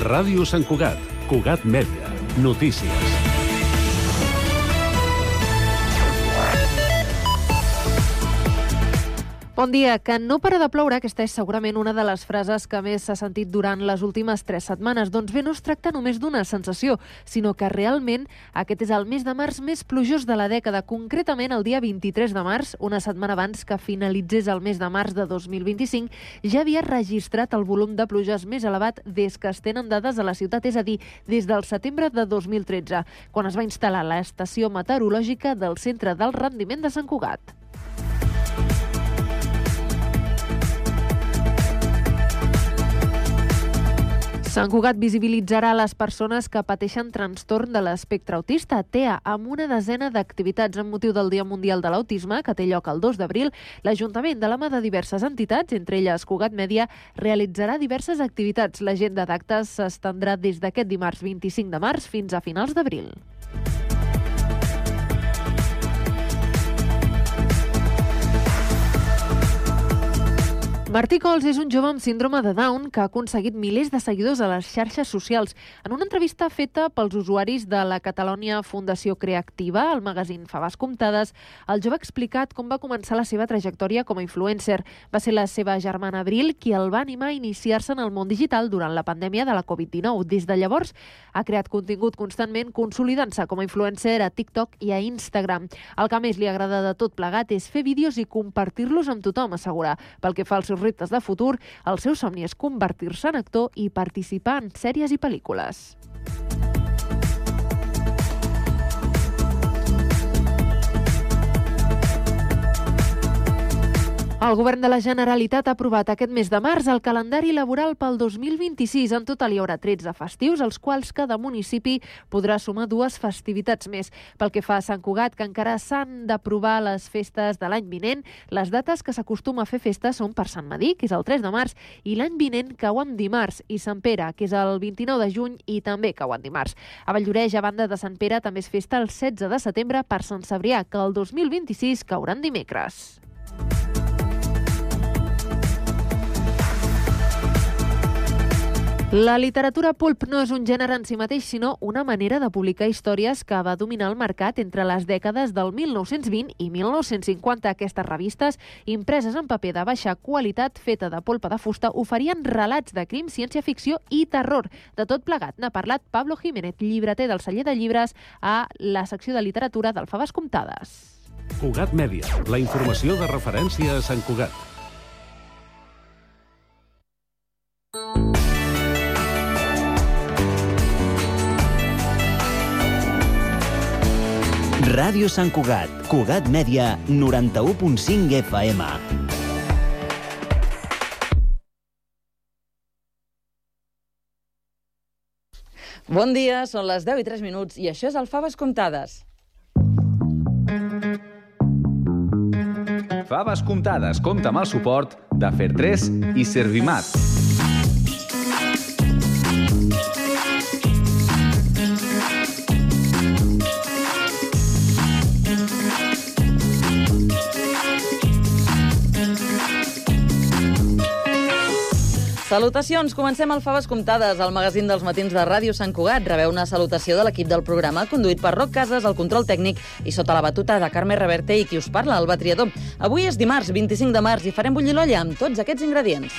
Ràdio Sant Cugat, Cugat Mèdia, notícies. Bon dia. Que no para de ploure, aquesta és segurament una de les frases que més s'ha sentit durant les últimes 3 setmanes. Doncs bé, no es tracta només d'una sensació, sinó que realment aquest és el mes de març més plujós de la dècada. Concretament, el dia 23 de març, una setmana abans que finalitzés el mes de març de 2025, ja havia registrat el volum de pluges més elevat des que es tenen dades a la ciutat, és a dir, des del setembre de 2013, quan es va instal·lar l'estació meteorològica del Centre del Rendiment de Sant Cugat. Sant Cugat visibilitzarà les persones que pateixen trastorn de l'espectre autista, TEA, amb una desena d'activitats amb motiu del Dia Mundial de l'Autisme, que té lloc el 2 d'abril. L'Ajuntament, de la mà de diverses entitats, entre elles Cugat Mèdia, realitzarà diverses activitats. L'agenda d'actes s'estendrà des d'aquest dimarts 25 de març fins a finals d'abril. Martí Cols és un jove amb síndrome de Down que ha aconseguit milers de seguidors a les xarxes socials. En una entrevista feta pels usuaris de la Catalonia Fundació Creativa, al magazín Faves Comptades, el jove ha explicat com va començar la seva trajectòria com a influencer. Va ser la seva germana Abril qui el va animar a iniciar-se en el món digital durant la pandèmia de la Covid-19. Des de llavors ha creat contingut constantment, consolidant-se com a influencer a TikTok i a Instagram. El que més li agrada de tot plegat és fer vídeos i compartir-los amb tothom, assegura. Pel que fa als seus reptes de futur, el seu somni és convertir-se en actor i participar en sèries i pel·lícules. El Govern de la Generalitat ha aprovat aquest mes de març el calendari laboral pel 2026. En total hi haurà 13 festius, als quals cada municipi podrà sumar 2 festivitats més. Pel que fa a Sant Cugat, que encara s'han d'aprovar les festes de l'any vinent, les dates que s'acostuma a fer festes són per Sant Madí, que és el 3 de març, i l'any vinent cau en dimarts, i Sant Pere, que és el 29 de juny i també cau en dimarts. A Valldoreix, a banda de Sant Pere, també és festa el 16 de setembre per Sant Cebrià, que el 2026 caurà en dimecres. La literatura pulp no és un gènere en si mateix, sinó una manera de publicar històries que va dominar el mercat entre les dècades del 1920 i 1950. Aquestes revistes, impreses en paper de baixa qualitat, feta de polpa de fusta, oferien relats de crim, ciència-ficció i terror. De tot plegat n'ha parlat Pablo Jiménez, llibreter del celler de llibres, a la secció de literatura del Faves Comptades. Cugat Mèdia, la informació de referència a Sant Cugat. Ràdio Sant Cugat, Cugat Mèdia, 91.5 FM. Bon dia, són les 10 i 3 minuts i això és el Faves Comptades. Faves Comptades compta amb el suport de Fer3 i Servimat. Salutacions, comencem el Faves Comptades, el magazín dels matins de Ràdio Sant Cugat. Rebeu una salutació de l'equip del programa, conduït per Roc Casas, el control tècnic, i sota la batuta de Carme Reverte i qui us parla, Alba Triador. Avui és dimarts, 25 de març, i farem bullir l'olla amb tots aquests ingredients.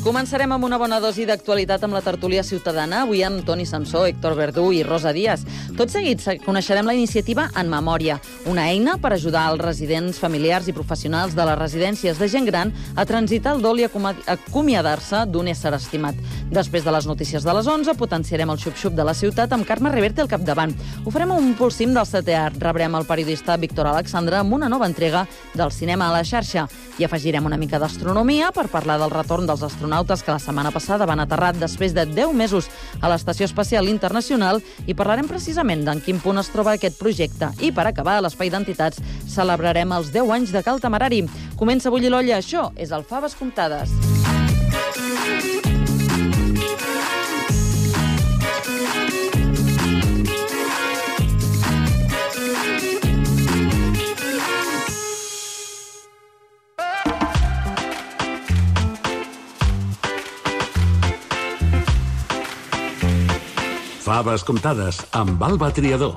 Començarem amb una bona dosi d'actualitat amb la tertúlia ciutadana, avui amb Toni Samsó, Héctor Verdú i Rosa Díaz. Tot seguit coneixerem la iniciativa En Memòria, una eina per ajudar els residents, familiars i professionals de les residències de gent gran a transitar el dol i acomiadar-se d'un ésser estimat. Després de les notícies de les 11, potenciarem el xup-xup de la ciutat amb Carme Reverte al capdavant. Ho farem amb un pulsim del setè art. Rebrem el periodista Víctor Alexandre amb una nova entrega del cinema a la xarxa. I afegirem una mica d'astronomia per parlar del retorn dels astronautes que la setmana passada van aterrar després de 10 mesos a l'Estació Espacial Internacional i parlarem precisament d'en quin punt es troba aquest projecte. I per acabar, a l'Espai d'Entitats celebrarem els 10 anys de Cal Temerari. Comença a bullir l'olla, això és el Faves Comptades. Faves comptades amb Alba Triador.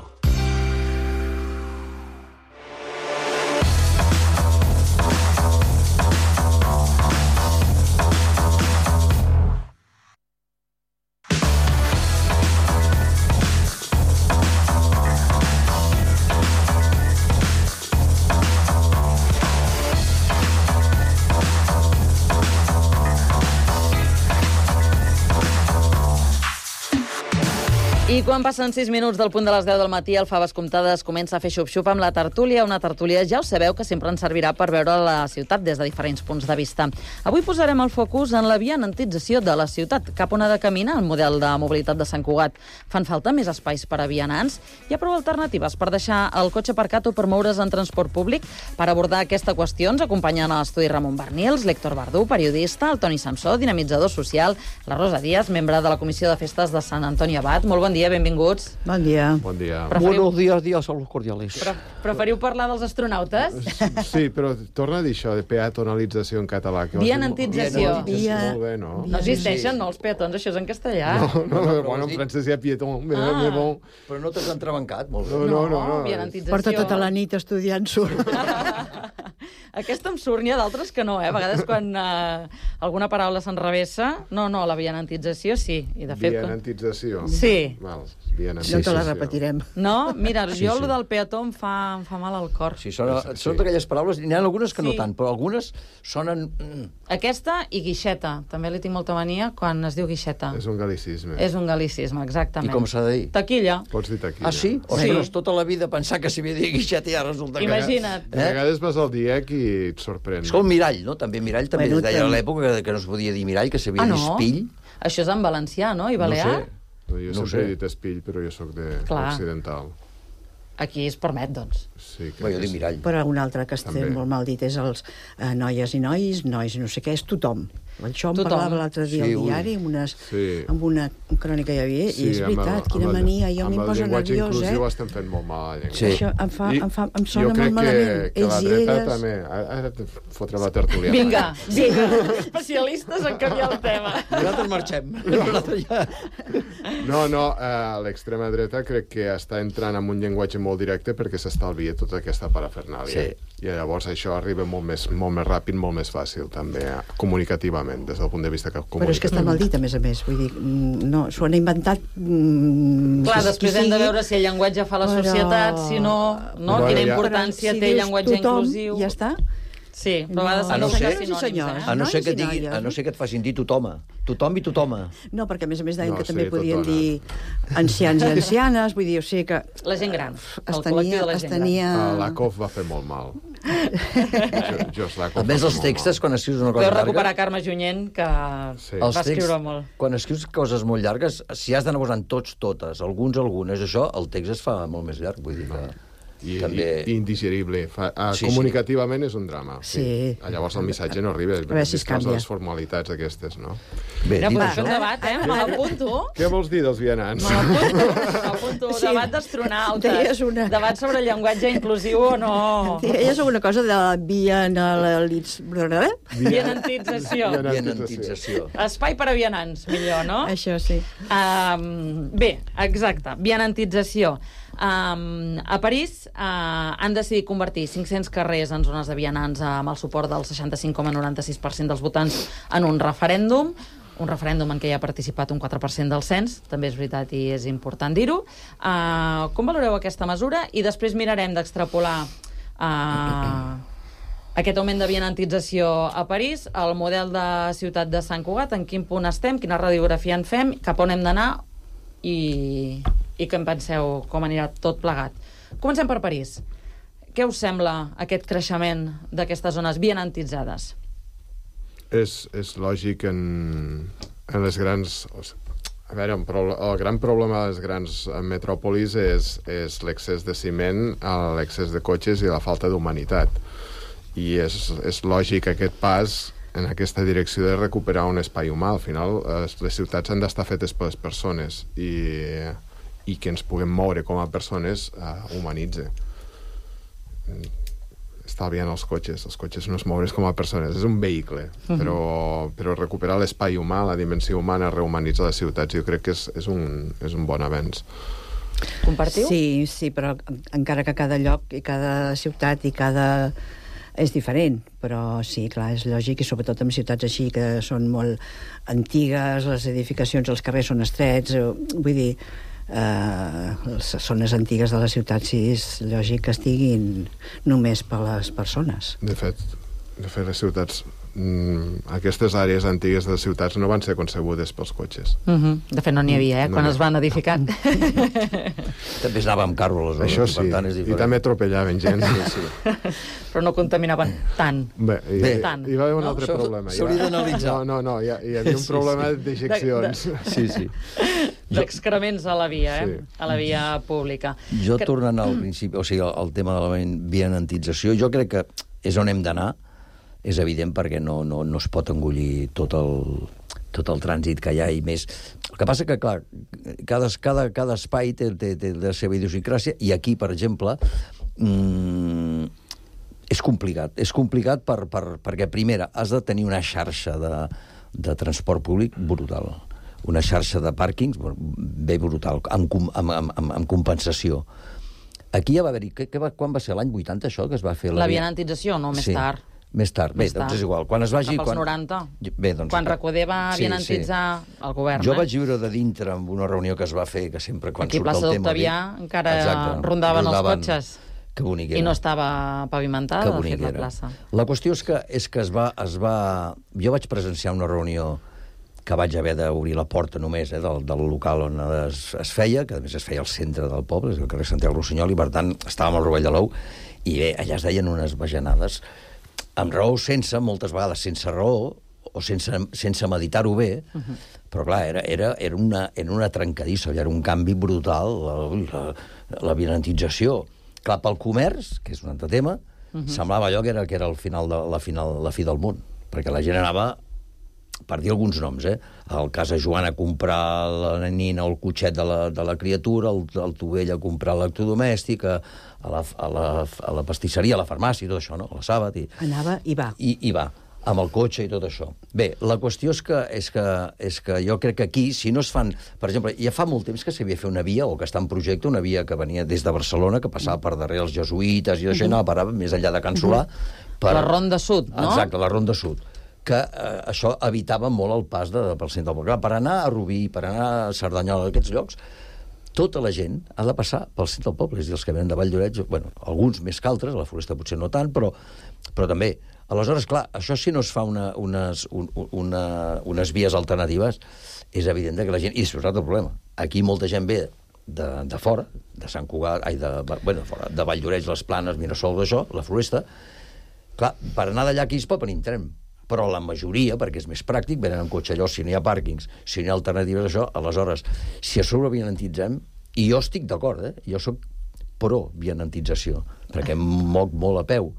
I quan passen 6 minuts del punt de les 10 del matí, el Faves Comptades comença a fer xup-xup amb la tertúlia. Una tertúlia, ja ho sabeu, que sempre ens servirà per veure la ciutat des de diferents punts de vista. Avui posarem el focus en la vianantització de la ciutat. Cap on ha de caminar el model de mobilitat de Sant Cugat? Fan falta més espais per a vianants? Hi ha prou alternatives per deixar el cotxe aparcat o per moure's en transport públic? Per abordar aquesta qüestió ens acompanyen a l'estudi Ramon Bernils, l'Héctor Verdú, periodista, el Toni Samsó, dinamitzador social, la Rosa Díaz, membre de la Comissió de Festes de Sant Antoni Abat. Molt bon dia, benvinguts. Bon dia. Bon dia. Buenos días a los cordiales. Preferiu parlar dels astronautes? Sí, però torna a dir això de peatonalització en català. Vianantització. Molt bé, no? No existeixen, no, els peatons, això és en castellà. No, bueno, en francès hi ha piéton, mais bon. Però no t'has entrebancat, molt bé. No. Vianantització. Porta tota la nit estudiant surt. Aquesta em surt, n'hi ha d'altres que no, A vegades quan alguna paraula s'enrevessa... No, la vianantització sí. I de fet, Vianantització. Sí. Val, No te la repetirem. No? Mira, jo el del peató em fa mal al cor. Sí, són aquelles paraules, n'hi ha algunes que no tant, però algunes sonen... Aquesta i guixeta. També li tinc molta mania quan es diu guixeta. És un galicisme. És un galicisme, exactament. I com s'ha de dir? Taquilla. Pots dir taquilla. Ah, sí? Ostres, tota la vida pensar que s'hi havia de dir guixeta i ara resulta que... Imagina't. A vegades vas al DIEC i et sorprèn. És com mirall, no? També mirall també es deia a l'època que no es podia dir mirall, que s'havia de dir espill. Això és en valencià, no? I balear? Jo sempre he dit espill, però jo sóc occidental. Aquí es permet, doncs. Sí, jo dic mirall. Però un altre que està molt mal dit és els noies i nois no sé què, és tothom. Això em parlava l'altre dia al diari, amb una crònica que hi havia, i és veritat, quina mania, jo m'hi poso nerviós, Amb el llenguatge inclusiu estem fent molt mal a la llengua. Això em sona molt malament. Jo crec que la dreta també... Ara et fotrem la tertúlia. Vinga, especialistes en canviar el tema. Nosaltres marxem. No, l'extrema dreta crec que està entrant en un llenguatge molt directe perquè s'estalvia tota aquesta parafernàlia. I llavors això arriba molt més ràpid, molt més fàcil, també, comunicativament, des del punt de vista comunicatiu. Però és que està mal dit, a més, vull dir, no, s'ho han inventat... Clar, després hem de veure si el llenguatge fa la societat, si no, quina importància té el llenguatge inclusiu. Ja està. Sí, però a vegades a no ser que et facin dir tothom i totoma. No, perquè a més deien que també podien dir ancians i ancianes, vull dir, o sigui que... La gent gran, el col·lectiu de la gent gran. Lakoff va fer molt mal. A més, els textos, quan escrius una cosa llarga... Podeu recuperar Carme Junyent, que va escriure molt. Quan escrius coses molt llargues, si has d'anar posant totes, algunes, això, el text es fa molt més llarg, vull dir que... I indigerible. Comunicativament és un drama. Sí. Llavors el missatge no arriba. A veure si es canvia. Les formalitats aquestes, no? Bé, dit això... debat, me l'apunto. Què vols dir dels vianants? M'apunto. Debat d'astronautes. Debat sobre el llenguatge inclusiu o no. Deies alguna cosa de la vianantització. Espai per a vianants, millor, no? Això sí. Bé, exacte. Vianantització. A París han decidit convertir 500 carrers en zones de vianants amb el suport del 65,96% dels votants en un referèndum en què hi ha participat un 4% del cens, també és veritat i és important dir-ho. Com valoreu aquesta mesura? I després mirarem d'extrapolar aquest augment de vianantització a París, el model de ciutat de Sant Cugat, en quin punt estem, quina radiografia en fem, cap on hem d'anar i què en penseu, com anirà tot plegat. Comencem per París. Què us sembla aquest creixement d'aquestes zones vianantitzades? És lògic en les grans... A veure, el gran problema de les grans metròpolis és l'excés de ciment, l'excés de cotxes i la falta d'humanitat. I és lògic aquest pas en aquesta direcció de recuperar un espai humà. Al final, les ciutats han d'estar fetes per les persones i que ens puguem moure com a persones humanitze. estalviant els cotxes. Els cotxes no es moure's com a persones, és un vehicle, però recuperar l'espai humà, la dimensió humana, rehumanitzar les ciutats, jo crec que és un bon avenç. Compartiu? Sí, però encara que cada lloc i cada ciutat i cada... és diferent, però sí, clar, és lògic, i sobretot en ciutats així que són molt antigues, les edificacions, els carrers són estrets, vull dir, les zones antigues de la ciutat, sí, és lògic que estiguin només per les persones. De fet, les ciutats... aquestes àrees antigues de les ciutats no van ser concebudes pels cotxes. De fet, no n'hi havia, quan es van edificar. També es anava amb carro, aleshores. Això sí, i també atropellaven gent. Però no contaminaven tant. Bé, hi va haver un altre problema. S'hauria d'analitzar. No, hi havia un problema d'ejeccions. Sí. D'excrements a la via, a la via pública. Jo, tornant al principi, o sigui, al tema de la vianantització, jo crec que és on hem d'anar, és evident, perquè no es pot engollir tot el trànsit que hi ha i més. El que passa que, clar, cada espai té la seva idiosincràsia, i aquí, per exemple, és complicat. És complicat perquè, primera, has de tenir una xarxa de transport públic brutal. Una xarxa de pàrquings bé brutal, amb compensació. Aquí ja va haver-hi... Quan va ser? L'any 80, això, que es va fer? La vianantització, no? Més tard. Més tard. Bé, doncs és igual. Quan es vagi... Cap als 90. Bé, doncs... Quan Recoder va vianantitzar el govern. Jo vaig viure de dintre en una reunió que es va fer, que sempre quan aquí surt el tema... Aquí a Plaça d'Octavià encara rondaven els cotxes. Que bonic era. I no estava pavimentada, de fet, la plaça. La qüestió és que es va... Jo vaig presenciar una reunió que vaig haver d'obrir la porta només del local on es feia, que a més es feia al centre del poble, és el carrer Santiago Rossinyol, i per tant estàvem al Rovell de l'Ou, i bé, allà es deien unes bajanades, amb raó, moltes vegades sense raó, o sense meditar-ho bé, però clar, era una trencadissa, era un canvi brutal, la vianantització. Clar, pel comerç, que és un altre tema, semblava allò que era el final la fi del món, perquè la gent anava, per dir alguns noms, al Casa Joan a comprar la nina o el cotxet de la criatura, el Tovell a comprar l'electrodomèstic, a la pastisseria, a la farmàcia, i tot això, no? A la Sàbat. Anava i va. I va, amb el cotxe i tot això. Bé, la qüestió és que jo crec que aquí, si no es fan... Per exemple, ja fa molt temps que s'havia fet una via, o que està en projecte, una via que venia des de Barcelona, que passava per darrere els jesuïtes i això, i anava a parar més enllà de Can Solà. La Ronda Sud, no? Exacte, la Ronda Sud. Que això evitava molt el pas pel centre del poble. Per anar a Rubí, per anar a Cerdanyola, aquests llocs, tota la gent ha de passar pel centre del poble. És a dir, els que venen de Valldoreix, bueno, alguns més que altres, a la Floresta potser no tant, però també. Aleshores, clar, això si no es fa unes vies alternatives, és evident que la gent... I és un altre problema. Aquí molta gent ve de fora, de Sant Cugat, de Valldoreix, les Planes, Mirasol, d'això, la Floresta. Clar, per anar d'allà aquí es pot venir en tren, però la majoria, perquè és més pràctic, venen amb cotxe allò, si no hi ha pàrquings, si no hi ha alternatives a això, aleshores, si a sobre vianantitzem, i jo estic d'acord, jo sóc pro vianantització, perquè em moc molt a peu,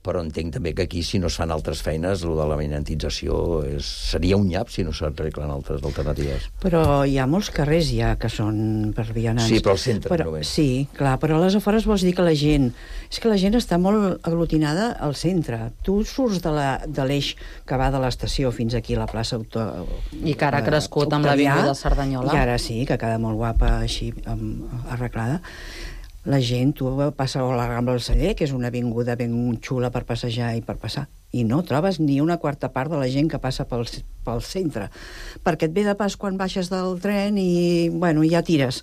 però entenc també que aquí, si no es fan altres feines, el de la vianantització seria un nyap si no s'arreglen altres alternatives. Però hi ha molts carrers ja que són per vianants. Sí, però al centre només. Sí, clar, però a les afores vols dir que la gent... És que la gent està molt aglutinada al centre. Tu surts de l'eix que va de l'estació fins aquí a la plaça I que ara ha crescut amb l'avinguda de Cerdanyola. I ara sí, que queda molt guapa, així, arreglada. La gent, tu passa a la Rambla del Celler, que és una avinguda ben xula per passejar i per passar, i no trobes ni una quarta part de la gent que passa pel centre, perquè et ve de pas quan baixes del tren i, bueno, ja tires.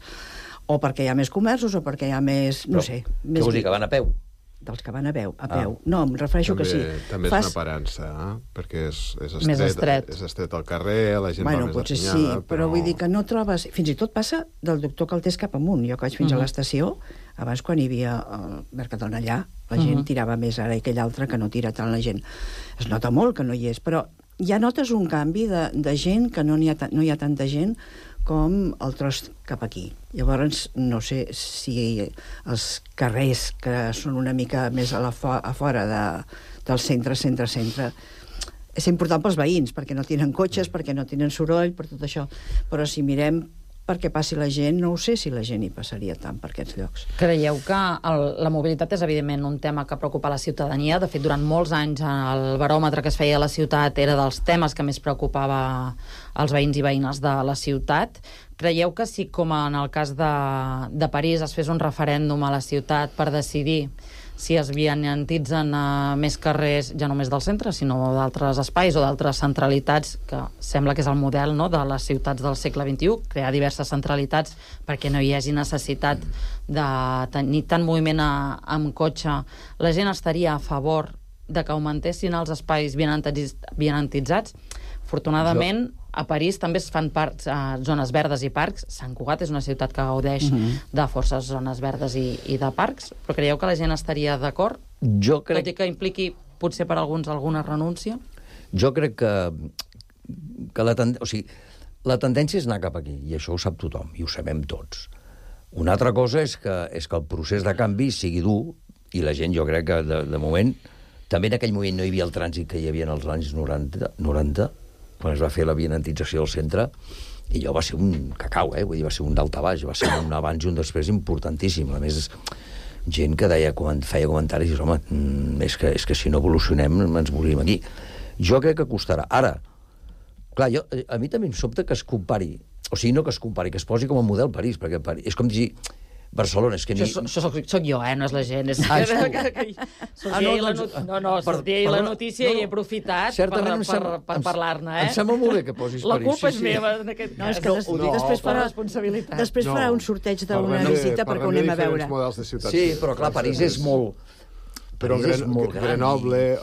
O perquè hi ha més comerços, o perquè hi ha més, no sé... Què vols dir, que van a peu? Dels que van a peu. No, em refereixo que sí. També és una aparença, perquè és estret. És estret al carrer, la gent va més potser afinyada. Sí, però vull dir que no trobes... Fins i tot passa del doctor Caltés cap amunt. Jo que vaig fins a l'estació, abans quan hi havia el Mercadona allà, la gent tirava més, ara i aquell altre que no tira tant la gent. Es nota molt que no hi és, però ja notes un canvi de gent, que no hi ha tanta gent com el tros cap aquí. Llavors, no sé si els carrers que són una mica més a fora del centre, és important pels veïns, perquè no tenen cotxes, perquè no tenen soroll, per tot això. Però si mirem perquè passi la gent, no ho sé si la gent hi passaria tant per aquests llocs. Creieu que la mobilitat és evidentment un tema que preocupa la ciutadania? De fet, durant molts anys el baròmetre que es feia a la ciutat era dels temes que més preocupava els veïns i veïnes de la ciutat. Creieu que si, com en el cas de París, es fes un referèndum a la ciutat per decidir si es vianantitzen més carrers, ja no només del centre, sinó d'altres espais o d'altres centralitats, que sembla que és el model, no?, de les ciutats del segle XXI, crear diverses centralitats perquè no hi hagi necessitat de tenir tant moviment amb cotxe. La gent estaria a favor de que augmentessin els espais vianantitzats? Afortunadament, a París també es fan zones verdes i parcs. Sant Cugat és una ciutat que gaudeix de forces zones verdes i de parcs, però creieu que la gent estaria d'acord? Jo crec... Tot i que impliqui, potser per alguns, alguna renúncia? Jo crec que la tendència és anar cap aquí, i això ho sap tothom, i ho sabem tots. Una altra cosa és que el procés de canvi sigui dur, i la gent, jo crec que de moment, també en aquell moment no hi havia el trànsit que hi havia en els anys 90, quan es va fer la vianantització del centre, i allò va ser un cacau, vull dir, va ser un daltabaix, va ser un abans i un després importantíssim. A més, gent que feia comentaris i dius, home, és que si no evolucionem ens morim aquí. Jo crec que costarà. Ara, clar, a mi també em sobta que es compari, o sigui, no que es compari, que es posi com a model París, perquè és com dir... Barcelona, és que... Això soc jo, no és la gent. Sortia la notícia i he aprofitat per parlar-ne. Em sembla molt bé que posis París. La culpa és meva en aquest cas. Després farà un sorteig d'una visita perquè ho anem a veure. Sí, però clar, París és molt... Però Grenoble,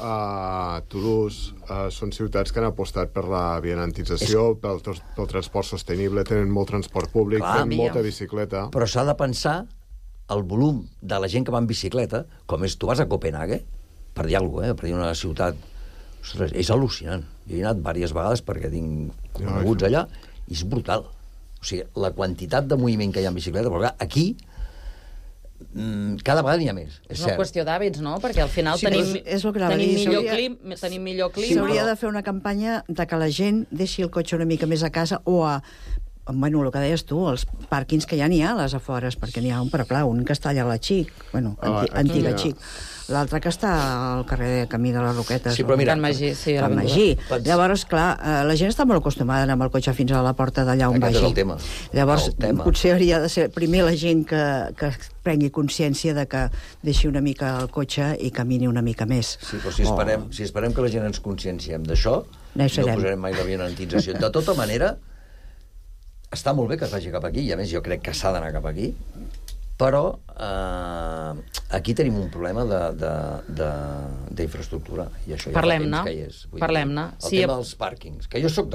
Toulouse, són ciutats que han apostat per la vianantització, pel transport sostenible, tenen molt transport públic, tenen molta bicicleta. Però s'ha de pensar el volum de la gent que va en bicicleta, com és, tu vas a Copenhague, per dir alguna cosa, per dir una ciutat... Ostres, és al·lucinant. Jo he anat diverses vegades perquè tinc coneguts allà, i és brutal. O sigui, la quantitat de moviment que hi ha en bicicleta, però clar, aquí... cada vegada n'hi ha més, és una qüestió d'hàbits, no? Perquè al final tenim millor clima. S'hauria de fer una campanya de que la gent deixi el cotxe una mica més a casa o bueno, el que deies tu, els pàrquings que ja n'hi ha a les afores, perquè n'hi ha un, però clar, un que està allà a la Xic, bueno, antiga Xic, l'altre que està al carrer de Camí de les Roquetes. Sí, però mira, Can Magí, sí. Can Magí. Llavors, clar, la gent està molt acostumada a anar amb el cotxe fins a la porta d'allà on vagi. Aquest és el tema. Llavors, potser hauria de ser primer la gent que prengui consciència de que deixi una mica el cotxe i camini una mica més. Sí, però si esperem que la gent ens conscienciem d'això, no posarem mai la vianantització. De tota manera, està molt bé que es vagi cap aquí, i a més jo crec que s'ha d'anar cap aquí, però aquí tenim un problema d'infraestructura, i això ja fa temps que hi és. Parlem-ne. El tema dels pàrquings, que jo estic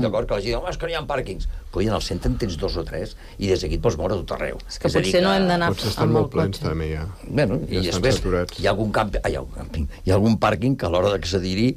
d'acord que la gent diu, és que no hi ha pàrquings. Coi, en el centre en tens 2 o 3, i des d'aquí et pots moure a tot arreu. És que potser no hem d'anar amb el cotxe. Potser estan molt plens, també, ja. Bueno, i després hi ha algun pàrquing que a l'hora d'accedir-hi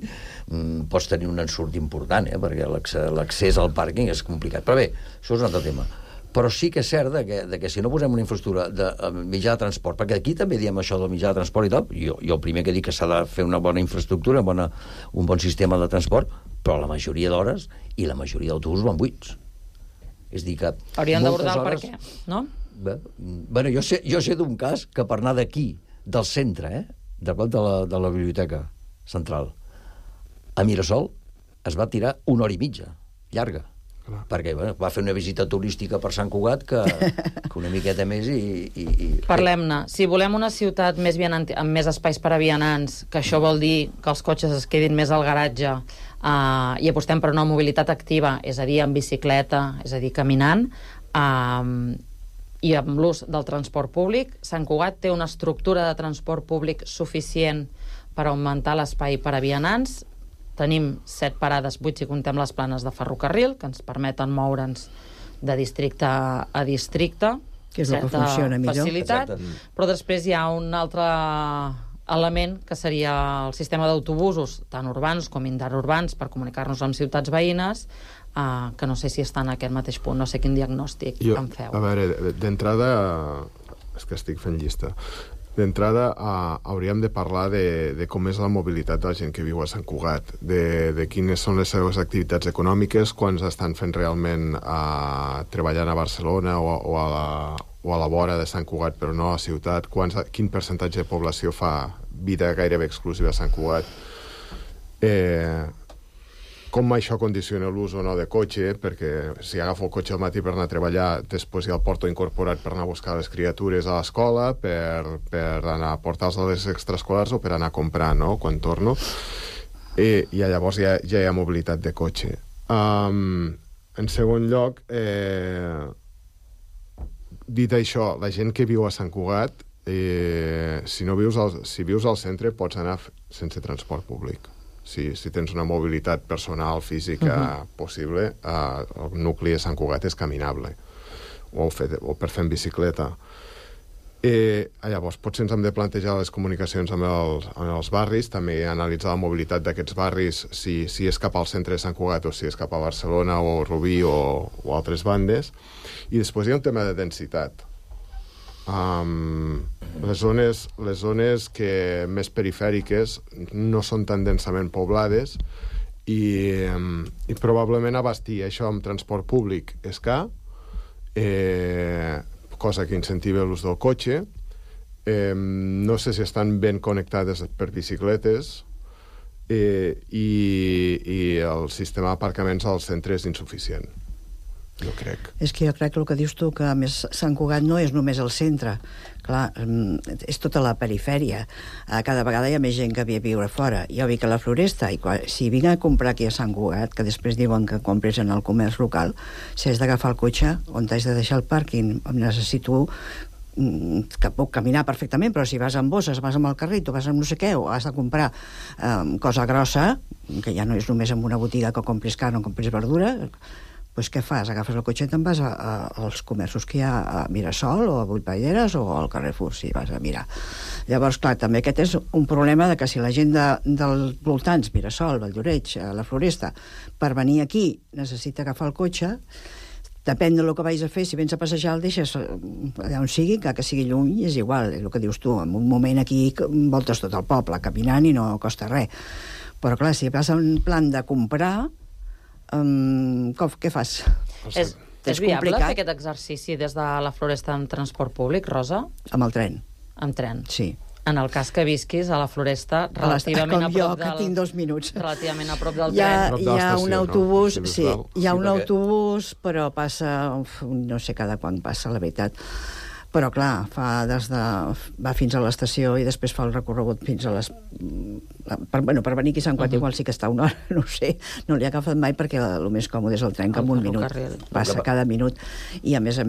pots tenir un ensurt important, perquè l'accés al pàrquing és complicat. Però bé, això és un altre tema. Però sí que és cert que si no posem una infraestructura de mitjà de transport, perquè aquí també diem això del mitjà de transport i tal, jo el primer que dic que s'ha de fer una bona infraestructura, un bon sistema de transport, però la majoria d'hores i la majoria d'autobusos van buits. És dir que... Haurien d'abordar el per què, no? Bé, jo sé d'un cas que per anar d'aquí, del centre, de la biblioteca central, a Mirasol es va tirar 1 hora i mitja, llarga, perquè va fer una visita turística per Sant Cugat que una miqueta més i... Parlem-ne. Si volem una ciutat amb més espais per a vianants, que això vol dir que els cotxes es quedin més al garatge, i apostem per una mobilitat activa, és a dir, amb bicicleta, és a dir, caminant, i amb l'ús del transport públic, Sant Cugat té una estructura de transport públic suficient per augmentar l'espai per a vianants. Tenim 7 parades buits si contem les planes de ferrocarril, que ens permeten moure'ns de districte a districte. Que és el que funciona millor. Facilitat. Però després hi ha un altre element, que seria el sistema d'autobusos, tant urbans com interurbans, per comunicar-nos amb ciutats veïnes, que no sé si està en aquest mateix punt, no sé quin diagnòstic en feu. A veure, d'entrada, és que estic fent llista. D'entrada, hauríem de parlar de com és la mobilitat de la gent que viu a Sant Cugat, de quines són les seves activitats econòmiques, quants estan fent realment treballant a Barcelona o a la vora de Sant Cugat, però no a la ciutat, quin percentatge de població fa vida gairebé exclusiva a Sant Cugat, com això condiciona l'ús o no de cotxe, perquè si agafo el cotxe al matí per anar a treballar, després ja el porto incorporat per anar a buscar les criatures a l'escola, per anar a portar-los a les extraescolars o per anar a comprar, no?, quan torno. I llavors ja hi ha mobilitat de cotxe. En segon lloc, dit això, la gent que viu a Sant Cugat, si vius al centre, pots anar sense transport públic. Si tens una mobilitat personal, física possible, el nucli de Sant Cugat és caminable, o per fer en bicicleta. Llavors, potser ens hem de plantejar les comunicacions amb els barris, també analitzar la mobilitat d'aquests barris, si és cap al centre de Sant Cugat o si és cap a Barcelona o Rubí o altres bandes. I després hi ha un tema de densitat. Les zones que més perifèriques no són tan densament poblades i probablement abastir això amb transport públic és car, cosa que incentiva l'ús del cotxe. No sé si estan ben connectades per bicicletes i el sistema d'aparcaments al centre és insuficient. Jo crec. És que jo crec que el que dius tu, que a més Sant Cugat no és només el centre, clar, és tota la perifèria. Cada vegada hi ha més gent que ve a viure fora. Jo vinc a la Floresta i si vinc a comprar aquí a Sant Cugat, que després diuen que compres en el comerç local, si has d'agafar el cotxe, on t'has de deixar el pàrquing, necessito que puc caminar perfectament, però si vas amb bosses, vas amb el carrit o vas amb no sé què, o has de comprar cosa grossa, que ja no és només en una botiga que compris carn o compris verdura, doncs què fas? Agafes el cotxe i te'n vas als comerços que hi ha a Mirasol o a Vuitpalleres o al Carrefour, si vas a mirar. Llavors, clar, també aquest és un problema de que si la gent dels voltants, Mirasol, Valldoreix, la Floresta, per venir aquí necessita agafar el cotxe, depèn del que vais a fer, si vens a passejar el deixes allà on sigui, que sigui lluny, és igual, és el que dius tu, en un moment aquí voltes tot el poble, caminant i no costa res. Però clar, si vas en plan de comprar, què fas? És viable fer aquest exercici des de la Floresta amb transport públic, Rosa? Amb el tren. Amb tren? Sí. En el cas que visquis a la Floresta, relativament a prop com jo, que tinc 2 minuts. Relativament a prop del tren. Hi ha un autobús, sí, hi ha un autobús, però passa, no sé cada quan passa, la veritat. Però, clar, va fins a l'estació i després fa el recorregut fins a les... Per venir aquí a Sant Cugat igual sí que està una hora, no sé, no l'he agafat mai perquè el més còmode és el tren, que en un minut passa cada minut. I a més,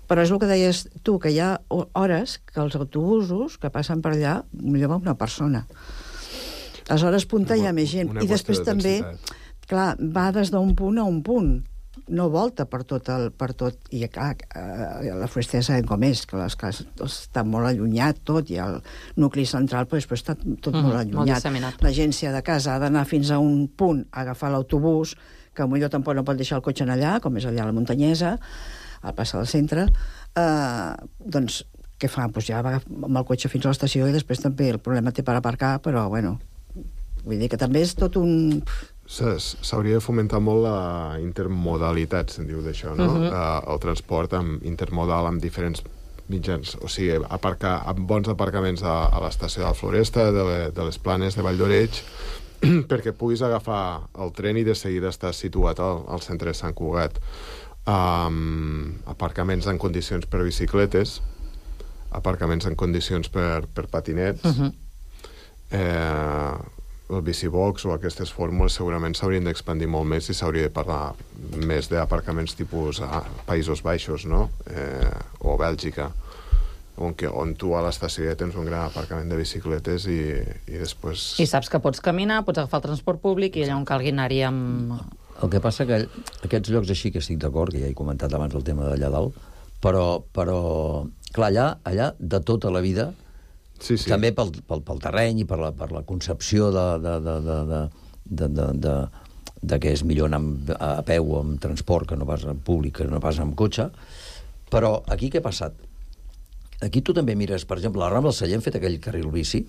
però és el que deies tu, que hi ha hores que els autobusos que passen per allà, millor va una persona. A les hores punta hi ha més gent. I després també, clar, va des d'un punt a un punt. No volta per tot, i clar, la Floresta ja sabem com és, que les cases estan molt allunyat tot, i el nucli central però està tot molt allunyat. La gent, si de casa ha d'anar fins a un punt a agafar l'autobús, que potser tampoc no pot deixar el cotxe allà, com és allà a la Muntanyesa, al passar del centre, doncs què fa? Doncs ja va amb el cotxe fins a l'estació i després també el problema té per aparcar, però bueno, vull dir que també és tot un... S'hauria de fomentar molt la intermodalitat, se'n diu d'això, no? El transport intermodal amb diferents mitjans, o sigui, aparcar amb bons aparcaments a l'estació de la Floresta, de les Planes de Valldoreix, perquè puguis agafar el tren i de seguida estar situat al centre de Sant Cugat. Aparcaments en condicions per bicicletes, aparcaments en condicions per patinets, el bicibox o aquestes fórmules segurament s'haurien d'expandir molt més i s'hauria de parlar més d'aparcaments tipus a Països Baixos, no? O Bèlgica, on tu a l'estació ja tens un gran aparcament de bicicletes i després... I saps que pots caminar, pots agafar el transport públic i allà on calgui anar-hi amb... El que passa que aquests llocs així que estic d'acord, que ja he comentat abans el tema d'allà dalt, però clar, allà de tota la vida... Sí. També pel terreny i per la concepció de que és millor anar a peu o amb transport que no pas en públic, que no pas amb cotxe. Però aquí què ha passat? Aquí tu també mires, per exemple, a la Rambla del Celler han fet aquell carril bici,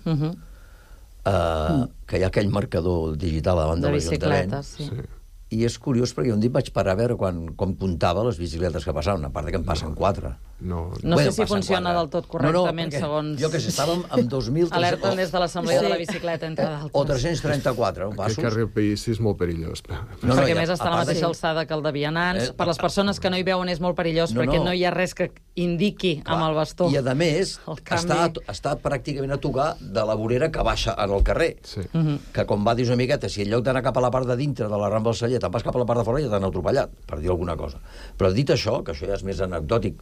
que hi ha aquell marcador digital a banda de l'Ajuntament. Sí. I és curiós perquè un dia vaig parar a veure com comptava les bicicletes que passaven, a part que en passen 4. No sé si funciona del tot correctament, segons... Jo que sé, estàvem amb 2.000... Alerten des de l'Assemblea de la Bicicleta, entre d'altres. O 334 passos. Aquest carril bici és molt perillós. Perquè més està a la mateixa alçada que el de vianants. Per les persones que no hi veuen és molt perillós, perquè no hi ha res que indiqui amb el bastó. I, a més, està pràcticament a tocar de la vorera que baixa en el carrer. Que com va dir una miqueta, si en lloc d'anar cap a la part de dintre de la Rambla del Celler te'n vas cap a la part de fora ja t'han atropellat, per dir alguna cosa. Però dit això, que això ja és més anecdòtic,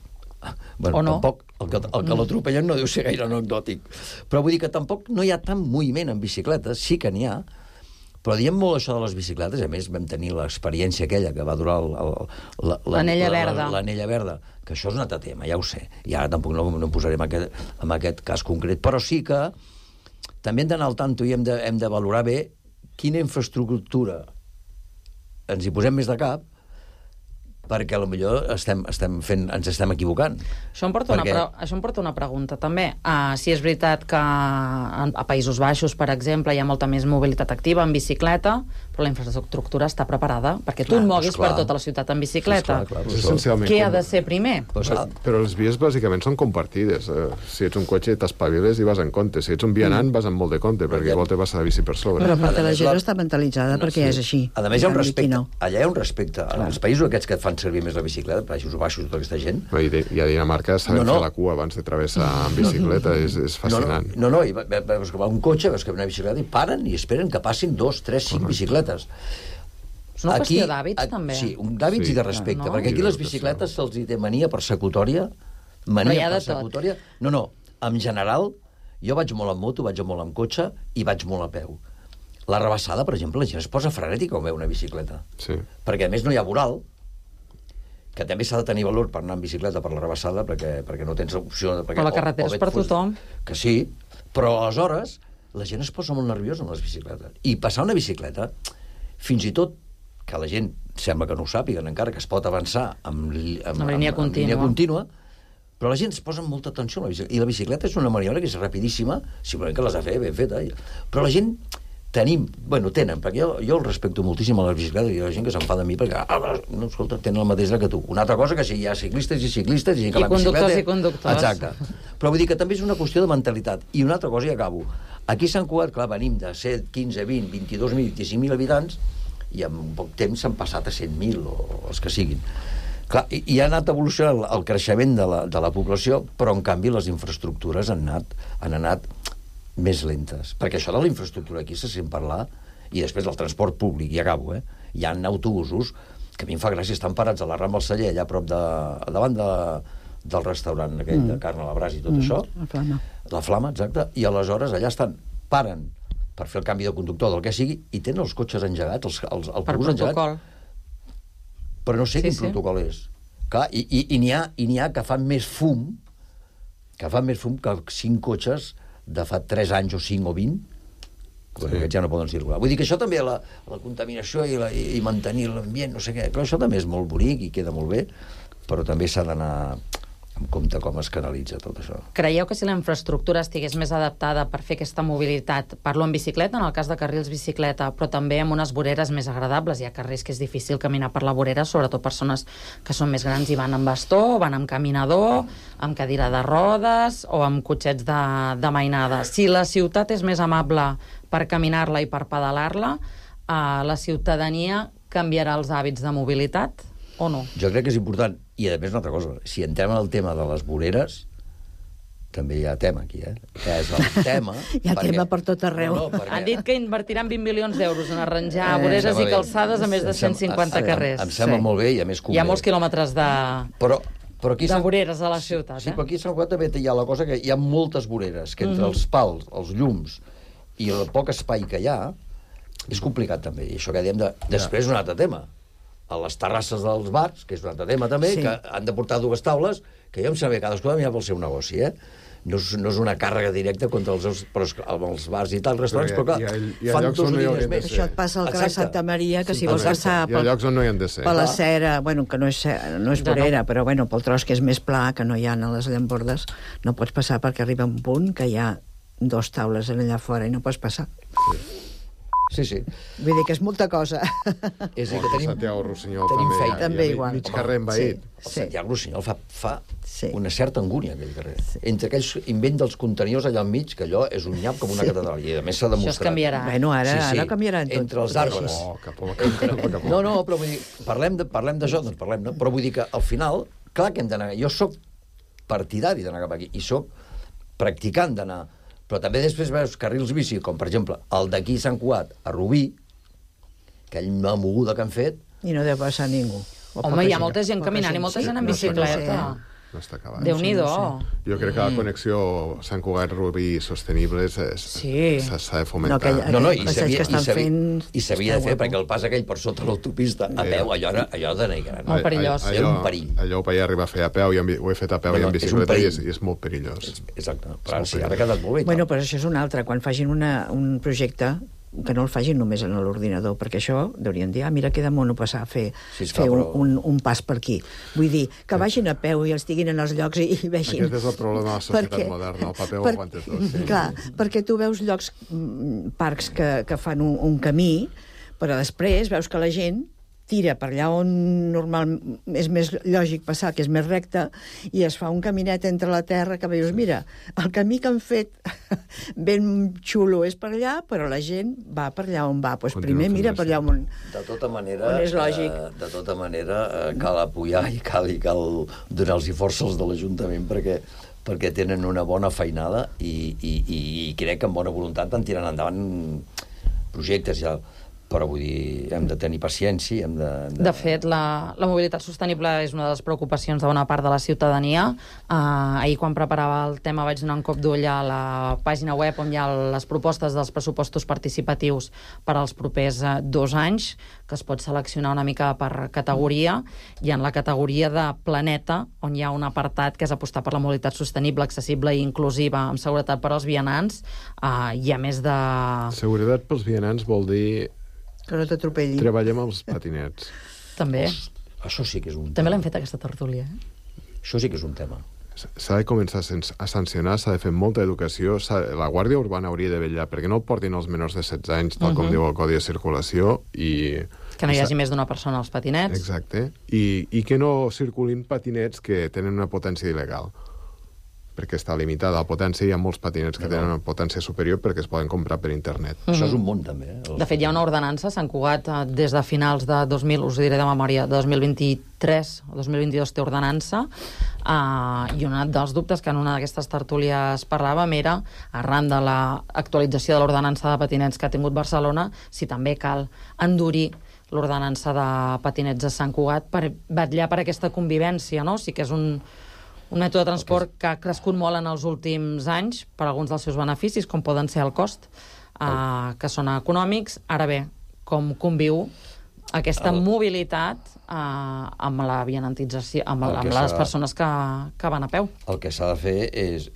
bueno, tampoc, el que l'atropellen no deu ser gaire anecdòtic. Però vull dir que tampoc no hi ha tant moviment en bicicletes, sí que n'hi ha, però diem molt això de les bicicletes, a més vam tenir l'experiència aquella que va durar l'anella verda. L'anella verda, que això és un altre tema, ja ho sé, i ara tampoc no em posarem en aquest cas concret, però sí que també hem d'anar al tanto i hem de valorar bé quina infraestructura ens hi posem més de cap, perquè potser ens estem equivocant. Això em porta una pregunta, també. Si és veritat que a Països Baixos, per exemple, hi ha molta més mobilitat activa en bicicleta, però la infraestructura està preparada perquè tu et moguis per tota la ciutat en bicicleta. Què ha de ser primer? Però les vies bàsicament són compartides. Si ets un cotxe t'espaviles i vas en compte. Si ets un vianant vas amb molt de compte, perquè igual te vas a la bici per sobre. Però perquè la gent està mentalitzada perquè és així. A més, hi ha un respecte. Allà hi ha un respecte. Els països aquests que et fan servir més la bicicleta, Països Baixos, tota aquesta gent... I a Dinamarca saben fer la cua abans de travessar amb bicicleta, és fascinant. No, i veus que va un cotxe, veus que va una bicicleta i paren i esperen que passin 2, 3, 5 bicicletes. És una qüestió d'hàbits, també. Sí, d'hàbits i de respecte, perquè aquí les bicicletes se'ls hi té mania persecutòria. No, en general, jo vaig molt amb moto, vaig molt amb cotxe i vaig molt a peu. La rebassada, per exemple, la gent es posa frenètica quan veu una bicicleta. Perquè, a més, no hi ha voral, que també s'ha de tenir valor per anar en bicicleta per la rebassada, perquè no tens opció... Però la carretera és per tothom. Que sí, però aleshores la gent es posa molt nerviosa amb les bicicletes. I passar una bicicleta, fins i tot que la gent sembla que no ho sàpiguen encara, que es pot avançar amb línia contínua, però la gent es posa amb molta atenció a la bicicleta. I la bicicleta és una maniobra que és rapidíssima, simplement que l'has de fer ben feta. Però la gent... tenen, perquè jo el respecto moltíssim a les bicicletes i hi ha gent que s'enfada amb mi perquè, no, escolta, tenen el mateix que tu. Una altra cosa que si hi ha ciclistes i ciclistes i gent que la bicicleta... I conductors. Exacte. Però vull dir que també és una qüestió de mentalitat. I una altra cosa, i acabo. Aquí a Sant Cugat, clar, venim de 7, 15, 20, 22.000, 25.000 habitants i en poc temps s'han passat a 100.000 o els que siguin. Clar, i ha anat evolucionant el creixement de la població, però en canvi les infraestructures han anat més lentes. Perquè això de la infraestructura aquí se sent parlar, i després del transport públic, i acabo, hi ha autobusos que a mi em fa gràcia, estan parats a la Rambla del Celler, allà a prop davant del restaurant aquell de carn a la brasa i tot això. La Flama, exacte. I aleshores allà paren per fer el canvi de conductor del que sigui i tenen els cotxes engegats, el autobús engegat. Però no sé quin protocol és. Clar, i n'hi ha que fan més fum que 5 cotxes de fa 3 anys o 5 o 20, perquè aquests ja no poden circular. Vull dir que això també, la contaminació i mantenir l'ambient, no sé què, però això també és molt bonic i queda molt bé, però també s'ha d'anar en compte com es canalitza tot això. Creieu que si la infraestructura estigués més adaptada per fer aquesta mobilitat, parlo en bicicleta, en el cas de carrils bicicleta, però també amb unes voreres més agradables, hi ha carrers que és difícil caminar per la vorera, sobretot persones que són més grans i van amb bastó, van amb caminador, amb cadira de rodes o amb cotxets de mainada. Si la ciutat és més amable per caminar-la i per pedalar-la, la ciutadania canviarà els hàbits de mobilitat o no? Jo crec que és important. I, a més, una altra cosa, si entrem en el tema de les voreres, també hi ha tema aquí, És el tema... Hi ha tema per tot arreu. Han dit que invertiran 20 milions d'euros en arranjar voreres i calçades a més de 150 carrers. Em sembla molt bé i a més convé. Hi ha molts quilòmetres de voreres a la ciutat. Sí, però aquí a Sant Cugat també hi ha la cosa que hi ha moltes voreres, que entre els pals, els llums i el poc espai que hi ha, és complicat també. I això que diem després és un altre tema. a les terrasses dels bars, que és un altre tema també, que han de portar 2 taules, que jo em sabia cadascú de mirar pel seu negoci, No és una càrrega directa contra els bars i tal, restaurants, però clar, fan 2 línies més. Això et passa al carrer Santa Maria, que si vols passar hi ha llocs on no hi han de ser. Per la cera, bueno, que no és vorera, però bueno, pel tros que és més pla, que no hi ha a les llambordes, no pots passar perquè arriba un punt que hi ha 2 taules allà fora i no pots passar. Sí. Vull dir que és molta cosa. És a dir, que Santiago Rossinyol també igual. Mig carrer envaït. Santiago Rossinyol fa una certa angúnia, aquell carrer. Entre aquells invent dels contenidors allà al mig, que allò és un nyap com una catedral, i a més s'ha demostrat. Això es canviarà. Bueno, ara canviaran tot. Entre els arbres. No, però vull dir, parlem d'això, doncs parlem, no? Però vull dir que al final, clar que hem d'anar... Jo sóc partidari d'anar cap aquí, i sóc practicant d'anar... Però també després veus carrils bici, com per exemple el d'aquí Sant Cugat a Rubí, aquella moguda que han fet... I no deu passar ningú. Home, hi ha molta gent caminant i molta gent en bicicleta. No està acabat. Déu-n'hi-do. Jo crec que la connexió Sant Cugat-Rubí sostenible s'ha de fomentar. I s'havia de fer, perquè el pas aquell per sota l'autopista a peu, allò de negre. Molt perillós. Era un perill. Allò ho vaig arribar a fer a peu, ho he fet a peu i en bicicleta, i és molt perillós. Exacte. Però sí, ara ha quedat molt bé. Bueno, però això és un altre. Quan facin un projecte, que no el facin només en l'ordinador, perquè això deurien dir, mira que de mono passar a fer un pas per aquí. Vull dir, que vagin a peu i els tinguin en els llocs i vegin... Aquest és el problema de la societat moderna, el paper ho aguanta tot. Clar, perquè tu veus llocs, parcs que fan un camí, però després veus que la gent tira per allà on normal és més lògic passar, que és més recte, i es fa un caminet entre la terra que veus, mira, el camí que han fet ben xulo és per allà, però la gent va per allà on va. Doncs primer mira per allà on és lògic. De tota manera, cal apoyar i cal donar-los força als de l'Ajuntament perquè tenen una bona feinada i crec que amb bona voluntat van tirant endavant projectes ja. Però vull dir, hem de tenir paciència, De fet, la mobilitat sostenible és una de les preocupacions de bona part de la ciutadania. Ahir, quan preparava el tema, vaig donar un cop d'ull a la pàgina web on hi ha les propostes dels pressupostos participatius per als propers 2 anys, que es pot seleccionar una mica per categoria, i en la categoria de planeta, on hi ha un apartat que és apostar per la mobilitat sostenible, accessible i inclusiva, amb seguretat per als vianants, hi ha més de... Seguretat pels vianants vol dir... Que no t'atropellin. Treballem els patinets. També. Això sí que és un tema. També l'hem fet, aquesta tertúlia. Això sí que és un tema. S'ha de començar a sancionar, s'ha de fer molta educació. La Guàrdia Urbana hauria de vetllar perquè no portin els menors de 16 anys, tal com diu el Codi de Circulació, i... Que no hi hagi més d'una persona als patinets. Exacte. I que no circulin patinets que tenen una potència il·legal, perquè està limitada la potència, hi ha molts patinets que tenen una potència superior perquè es poden comprar per internet. Això és un món, també. De fet, hi ha una ordenança a Sant Cugat des de finals de 2000, us ho diré de memòria, de 2023 o 2022 té ordenança, i un dels dubtes que en una d'aquestes tertúlies parlàvem era, arran de l'actualització de l'ordenança de patinets que ha tingut Barcelona, si també cal endurir l'ordenança de patinets a Sant Cugat per vetllar per aquesta convivència, no? Sí que és un mètode de transport que ha crescut molt en els últims anys per alguns dels seus beneficis, com poden ser el cost, que són econòmics. Ara bé, com conviu aquesta mobilitat amb la vianantització, amb les persones que van a peu. El que s'ha de fer és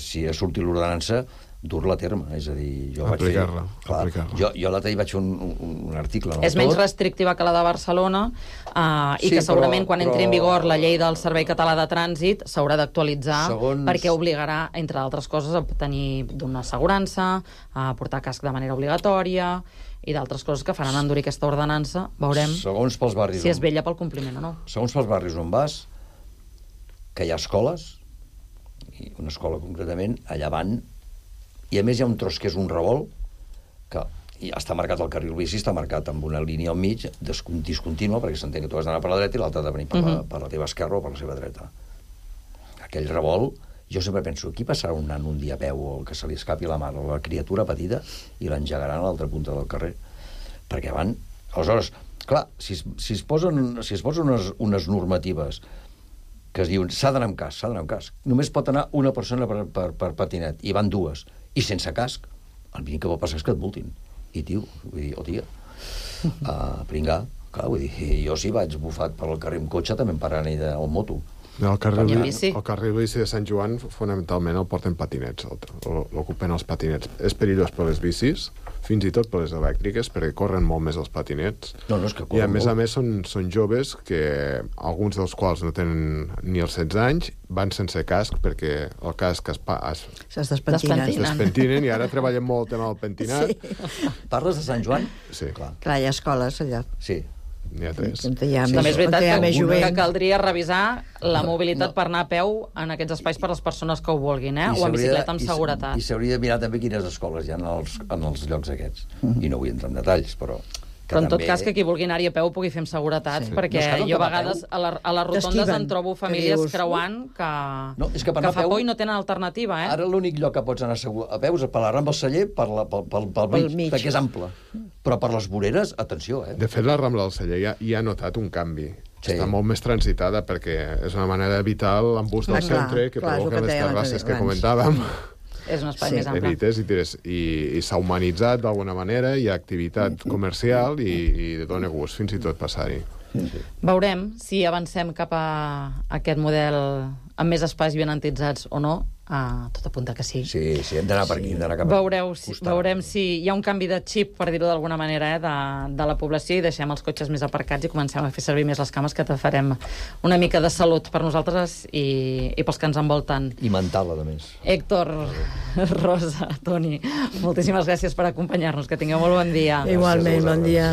si ha sortit l'ordenança, dur-la a terme, és a dir, jo vaig fer... Aplicar-la. Jo l'altre dia vaig fer un article... És menys restrictiva que la de Barcelona, i que segurament quan entri en vigor la llei del Servei Català de Trànsit s'haurà d'actualitzar perquè obligarà, entre altres coses, a tenir d'una assegurança, a portar casc de manera obligatòria i d'altres coses que faran endurir aquesta ordenança. Veurem si es vetlla pel compliment o no. Segons pels barris on vas, que hi ha escoles, i una escola concretament, allà van... I a més hi ha un tros que és un revolt, que està marcat el carril bici, està marcat amb una línia al mig, discontínua, perquè s'entén que tu has d'anar per la dreta i l'altre ha de venir per la teva esquerra o per la seva dreta. Aquell revolt, jo sempre penso, aquí passarà un nan un dia a peu o que se li escapi la mà o la criatura petita i l'engegaran a l'altra punta del carrer. Perquè van... Aleshores, clar, si es posen unes normatives que es diuen s'ha d'anar amb casc, només pot anar una persona per patinet, i van 2, i sense casc, el mínim que pot passar és que et multin. I tio, vull dir, o tia, pringar. Clar, vull dir, jo si vaig bufat per el carrer amb cotxe també em pararan al moto. El carrer bici de Sant Joan, fonamentalment, el porten patinets, l'ocupen els patinets. És perillós per les bicis, fins i tot per les elèctriques, perquè corren molt més els patinets. No, és que I a més són joves que, alguns dels quals no tenen ni els 16 anys, van sense casc, perquè el casc es despentinen, i ara treballem molt el tema del pentinat. Sí. Parles de Sant Joan? Sí. Clar, hi ha escoles allà. Sí. N'hi ha 3. També és veritat que caldria revisar la mobilitat per anar a peu en aquests espais per a les persones que ho vulguin, o en bicicleta amb seguretat. I s'hauria de mirar també quines escoles hi ha en els llocs aquests. I no vull entrar en detalls, però en tot cas que qui vulgui anar-hi a peu pugui fer amb seguretat, perquè jo a vegades a les rotondes en trobo famílies creuant que fa por i no tenen alternativa. Ara l'únic lloc que pots anar a peu és per la Rambla del Celler, pel mig, perquè és ample. Però per les voreres, atenció. De fet, la Rambla del Celler ja ha notat un canvi. Està molt més transitada, perquè és una manera d'evitar l'embús del centre que provoca les terrasses que comentàvem. És un espai més ample. I s'ha humanitzat d'alguna manera, hi ha activitat comercial i dona gust fins i tot passar-hi. Veurem si avancem cap a aquest model amb més espais benantitzats o no. Tot apunta que sí. Sí, hem d'anar per aquí, hem d'anar cap a... Veurem si hi ha un canvi de xip, per dir-ho d'alguna manera, de la població, i deixem els cotxes més aparcats i comencem a fer servir més les cames, que te farem una mica de salut per nosaltres i pels que ens envolten. I mental, a més. Héctor, Rosa, Toni, moltíssimes gràcies per acompanyar-nos. Que tingueu molt bon dia. Igualment, bon dia.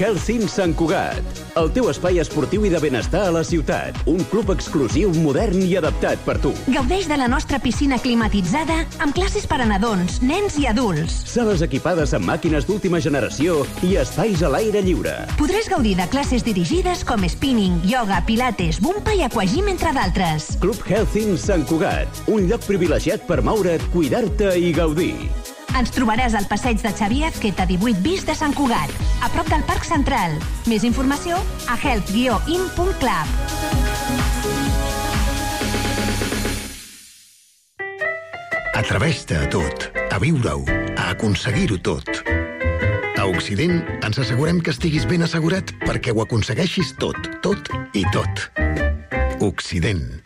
Health Sant Cugat, el teu espai esportiu i de benestar a la ciutat. Un club exclusiu, modern i adaptat per tu. Gaudeix de la nostra piscina climatitzada amb classes per a nadons, nens i adults. Sales equipades amb màquines d'última generació i espais a l'aire lliure. Podràs gaudir de classes dirigides com spinning, ioga, pilates, bumpa i aquagym, entre d'altres. Club Health Sant Cugat, un lloc privilegiat per moure't, cuidar-te i gaudir. Ens trobaràs al passeig de Xavier Azqueta 18 bis de Sant Cugat, a prop del Parc Central. Més informació a health-in.club. Atreveix-te a tot, a viure-ho, a aconseguir-ho tot. A Occident ens assegurem que estiguis ben assegurat perquè ho aconsegueixis tot, tot i tot. Occident.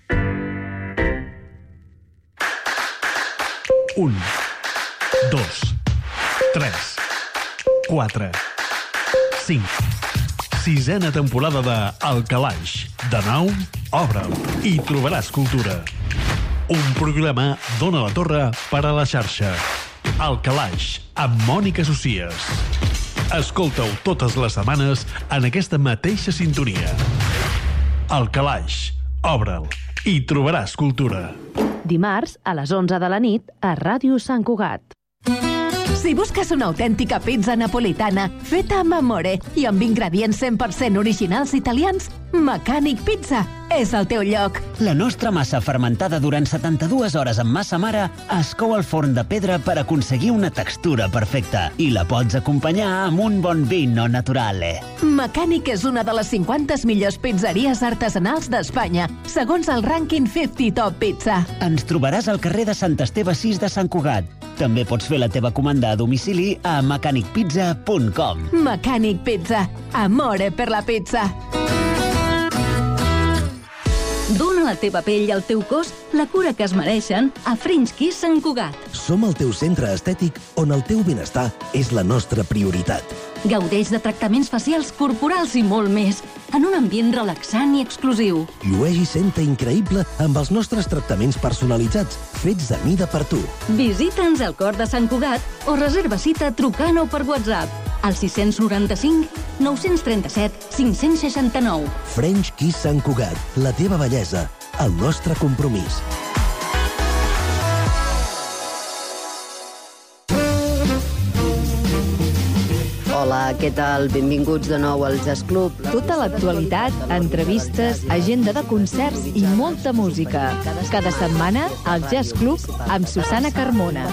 1, 2, 3, 4, 5. 6a temporada de El Calaix. De nou, obre'l i trobaràs cultura. Un programa d'Ona la Torre per a la xarxa. El Calaix, amb Mònica Socies. Escolta-ho totes les setmanes en aquesta mateixa sintonia. El Calaix, obre'l i trobaràs cultura. Dimarts a les 11 de la nit a Ràdio Sant Cugat. Si busques una autèntica pizza napolitana feta amb amore i amb ingredients 100% originals italians, Mecànic Pizza és el teu lloc. La nostra massa fermentada durant 72 hores amb massa mare es cou al forn de pedra per aconseguir una textura perfecta i la pots acompanyar amb un bon vino naturale. Mecànic és una de les 50 millors pizzeries artesanals d'Espanya, segons el rànquing 50 Top Pizza. Ens trobaràs al carrer de Sant Esteve 6 de Sant Cugat. També pots fer la teva comanda a domicili a mecanicpizza.com. Mecànic Pizza. Amore per la pizza. Dóna a la teva pell i al teu cos la cura que es mereixen a French Kiss Sant Cugat. Som el teu centre estètic on el teu benestar és la nostra prioritat. Gaudeix de tractaments facials, corporals i molt més, en un ambient relaxant i exclusiu. Llueix i senta increïble amb els nostres tractaments personalitzats, fets a mida per tu. Visita'ns al cor de Sant Cugat o reserva cita trucant o per WhatsApp al 695 937 569. French Kiss Sant Cugat, la teva bellesa, el nostre compromís. Hola, què tal? Benvinguts de nou al Jazz Club. Tota l'actualitat, entrevistes, agenda de concerts i molta música. Cada setmana, al Jazz Club amb Susana Carmona.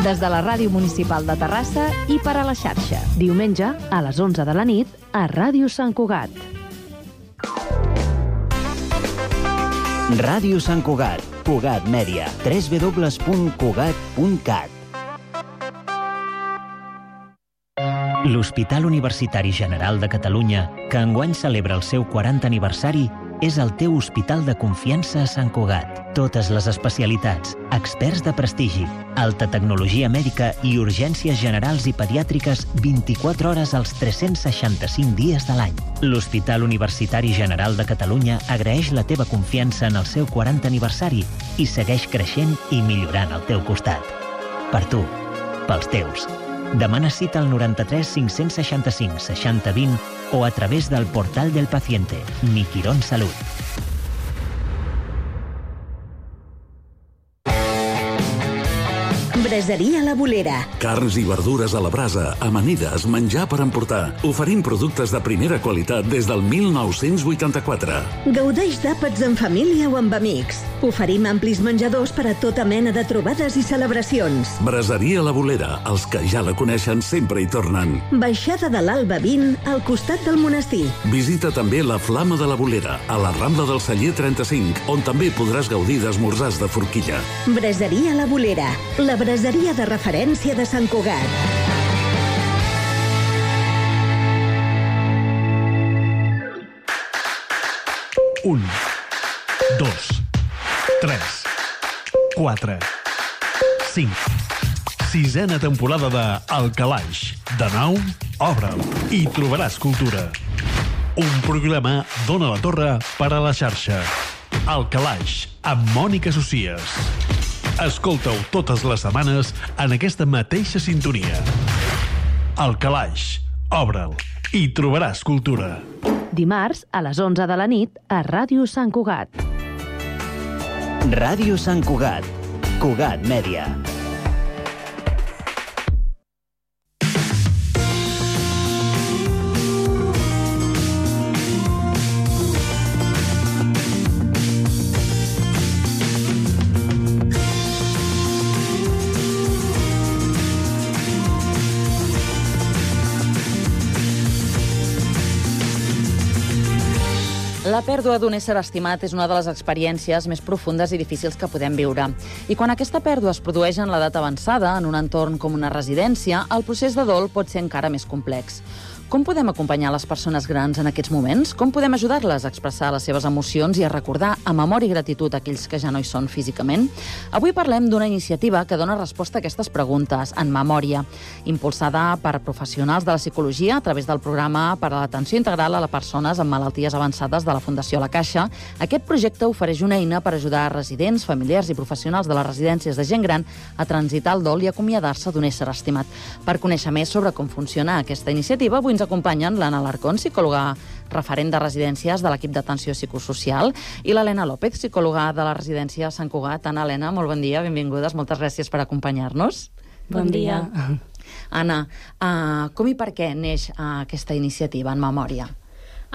Des de la Ràdio Municipal de Terrassa i per a la xarxa. Diumenge, a les 11 de la nit, a Ràdio Sant Cugat. Ràdio Sant Cugat, Cugat Mèdia, www.cugat.cat. L'Hospital Universitari General de Catalunya, que enguany celebra el seu 40 aniversari, és el teu hospital de confiança a Sant Cugat. Totes les especialitats, experts de prestigi, alta tecnologia mèdica i urgències generals i pediàtriques 24 hores als 365 dies de l'any. L'Hospital Universitari General de Catalunya agraeix la teva confiança en el seu 40 aniversari i segueix creixent i millorant al teu costat. Per tu, pels teus. Demana cita al 93 565 60 20 o a través del portal del paciente, Mi Quirón Salud. Braseria La Bolera. Carns i verdures a la brasa, amanides, menjar per emportar. Oferim productes de primera qualitat des del 1984. Gaudeix d'àpats en família o amb amics. Oferim amplis menjadors per a tota mena de trobades i celebracions. Braseria La Bolera. Els que ja la coneixen sempre hi tornen. Baixada de l'Alba 20, al costat del monestir. Visita també la Flama de la Bolera, a la Rambla del Celler 35, on també podràs gaudir d'esmorzars de forquilla. Braseria La Bolera. La braseria de referència de Sant Cugat. Un, 2, 3, 4, 5. Sisena temporada de El Calaix. De nou, obre'l i trobaràs cultura. Un programa d'Ona la Torre per a la xarxa. El Calaix, amb Mònica Socies. Escolta-ho totes les setmanes en aquesta mateixa sintonia. El Calaix, obre'l i trobaràs cultura. Dimarts, a les 11 de la nit, a Ràdio Sant Cugat. Ràdio Sant Cugat, Cugat Mèdia. La pèrdua d'un ésser estimat és una de les experiències més profundes i difícils que podem viure. I quan aquesta pèrdua es produeix en l'edat avançada, en un entorn com una residència, el procés de dol pot ser encara més complex. Com podem acompanyar les persones grans en aquests moments? Com podem ajudar-les a expressar les seves emocions i a recordar amb amor i gratitud aquells que ja no hi són físicament? Avui parlem d'una iniciativa que dona resposta a aquestes preguntes, En Memòria, impulsada per professionals de la psicologia a través del programa per a l'atenció integral a les persones amb malalties avançades de la Fundació La Caixa. Aquest projecte ofereix una eina per ajudar residents, familiars i professionals de les residències de gent gran a transitar el dol i acomiadar-se d'un ésser estimat. Per conèixer més sobre com funciona aquesta iniciativa, avui ens acompanyen l'Anna Alarcón, psicòloga referent de residències de l'equip d'atenció psicosocial, i l'Helena López, psicòloga de la residència Sant Cugat. Anna, Helena, molt bon dia, benvingudes, moltes gràcies per acompanyar-nos. Bon dia. Anna, com i per què neix aquesta iniciativa En Memòria?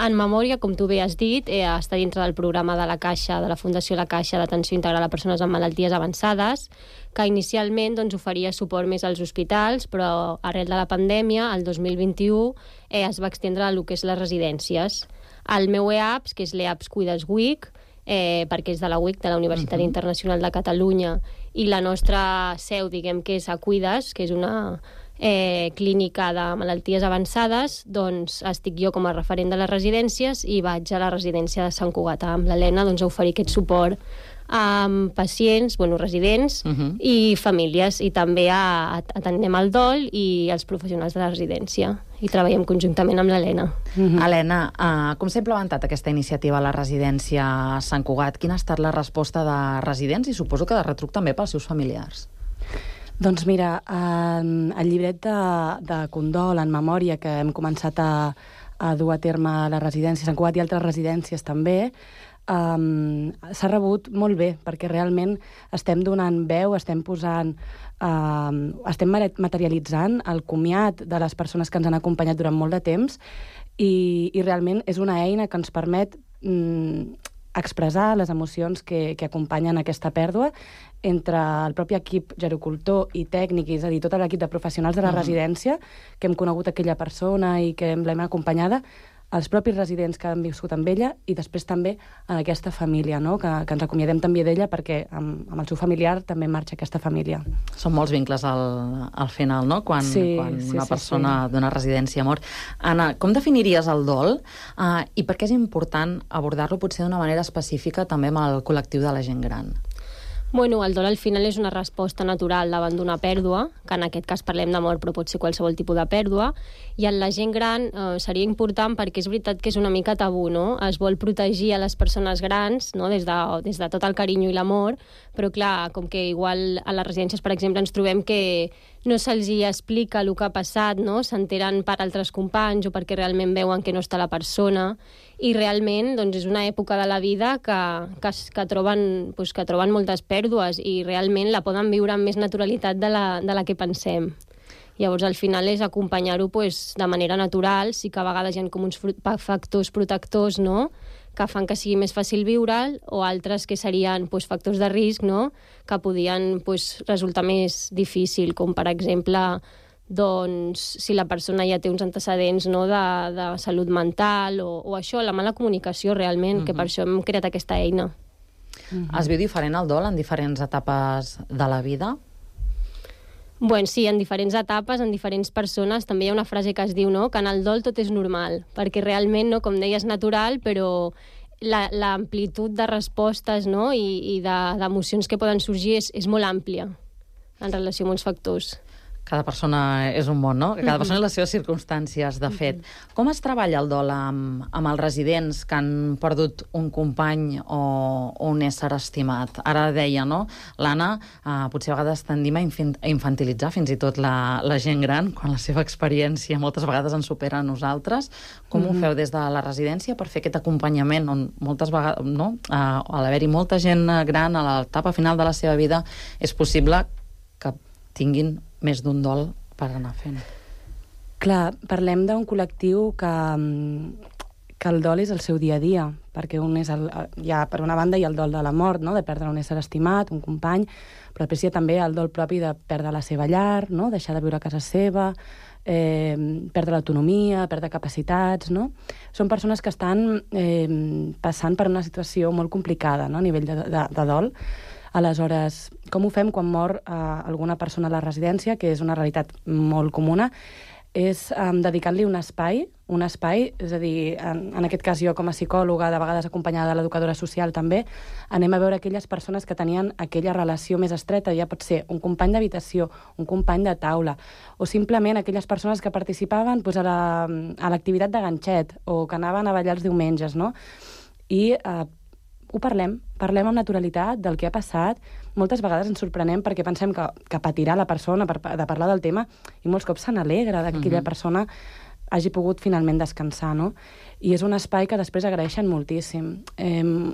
En Memòria, com tu bé has dit, està dintre del programa de la Caixa, de la Fundació La Caixa d'Atenció Integral a Persones amb Malalties Avançades, que inicialment oferia suport més als hospitals, però arrel de la pandèmia, el 2021, es va extendre a lo que és les residències. El meu EAPS, que és l'EAPS Cuides WIC, perquè és de la WIC, de la Universitat Internacional de Catalunya, i la nostra seu, diguem que és a Cuides, que és una clínica de malalties avançades, doncs estic jo com a referent de les residències i vaig a la residència de Sant Cugat amb l'Helena a oferir aquest suport a pacients, residents i famílies, i també atenem el dol i els professionals de la residència, i treballem conjuntament amb l'Helena. Helena, com s'ha implementat aquesta iniciativa a la residència Sant Cugat? Quina ha estat la resposta de residents i suposo que de retruc també pels seus familiars? Doncs mira, el llibret de condol En Memòria que hem començat a dur a terme a la residència Sant Cugat i altres residències també, s'ha rebut molt bé, perquè realment estem donant veu, estem materialitzant el comiat de les persones que ens han acompanyat durant molt de temps i realment és una eina que ens permet expressar les emocions que acompanyen aquesta pèrdua entre el propi equip gerocultor i tècnic, és a dir, tot l'equip de professionals de la residència, que hem conegut aquella persona i que l'hem acompanyada, els propis residents que han viscut amb ella i després també en aquesta família, no? que ens acomiadem també d'ella perquè amb el seu familiar també marxa aquesta família. Són molts vincles al final, no? Quan una persona d'una residència mor. Anna, com definiries el dol i per què és important abordar-lo potser d'una manera específica també amb el col·lectiu de la gent gran? Bueno, el dol al final és una resposta natural davant d'una pèrdua, que en aquest cas parlem de mort, però pot ser qualsevol tipus de pèrdua, i en la gent gran seria important perquè és veritat que és una mica tabú, no? Es vol protegir a les persones grans, no? des de tot el carinyo i l'amor, però clar, com que igual a les residències, per exemple, ens trobem que no se'ls explica el que ha passat, no? S'enteren per altres companys o perquè realment veuen que no està la persona, i realment doncs, és una època de la vida que troben moltes pèrdues i realment la poden viure amb més naturalitat de la que pensem. Llavors, al final és acompanyar-ho de manera natural, sí que a vegades hi ha com uns factors protectors, no?, que fan que sigui més fàcil viure'l, o altres que serien factors de risc, no?, que podien resultar més difícil, com per exemple si la persona ja té uns antecedents, no?, de salut mental o això, la mala comunicació realment, que per això hem creat aquesta eina. Es viu diferent el dol en diferents etapes de la vida? Bueno, sí, en diferents etapes, en diferents persones. També hi ha una frase que es diu, no?, que en el dol tot és normal, perquè realment, no, com deies, natural, però l'amplitud de respostes, no?, i d'emocions que poden sorgir és molt àmplia en relació amb uns factors. Cada persona és un món, no? Cada persona és les seves circumstàncies, de fet. Com es treballa el dol amb els residents que han perdut un company o un ésser estimat? Ara deia, no? L'Anna, potser a vegades tendim a infantilitzar fins i tot la gent gran, quan la seva experiència moltes vegades ens supera a nosaltres. Com ho feu des de la residència per fer aquest acompanyament on moltes vegades, no?, a l'haver-hi molta gent gran a l'etapa final de la seva vida, és possible que tinguin més d'un dol per anar fent. Clar, parlem d'un col·lectiu que el dol és el seu dia a dia, perquè hi ha, per una banda, hi ha el dol de la mort, no?, de perdre un ésser estimat, un company, però després hi ha també el dol propi de perdre la seva llar, no?, deixar de viure a casa seva, perdre l'autonomia, perdre capacitats, no? Són persones que estan passant per una situació molt complicada, no?, a nivell de dol. Aleshores, com ho fem quan mor alguna persona a la residència, que és una realitat molt comuna, és dedicant-li un espai, és a dir, en aquest cas jo com a psicòloga, de vegades acompanyada de l'educadora social també, anem a veure aquelles persones que tenien aquella relació més estreta, ja pot ser un company d'habitació, un company de taula, o simplement aquelles persones que participaven a l'activitat de ganxet, o que anaven a ballar els diumenges, no? I ho parlem amb naturalitat del que ha passat. Moltes vegades ens sorprenem perquè pensem que patirà la persona de parlar del tema i molts cops se n'alegra que aquella persona hagi pogut finalment descansar, no? I és un espai que després agraeixen moltíssim.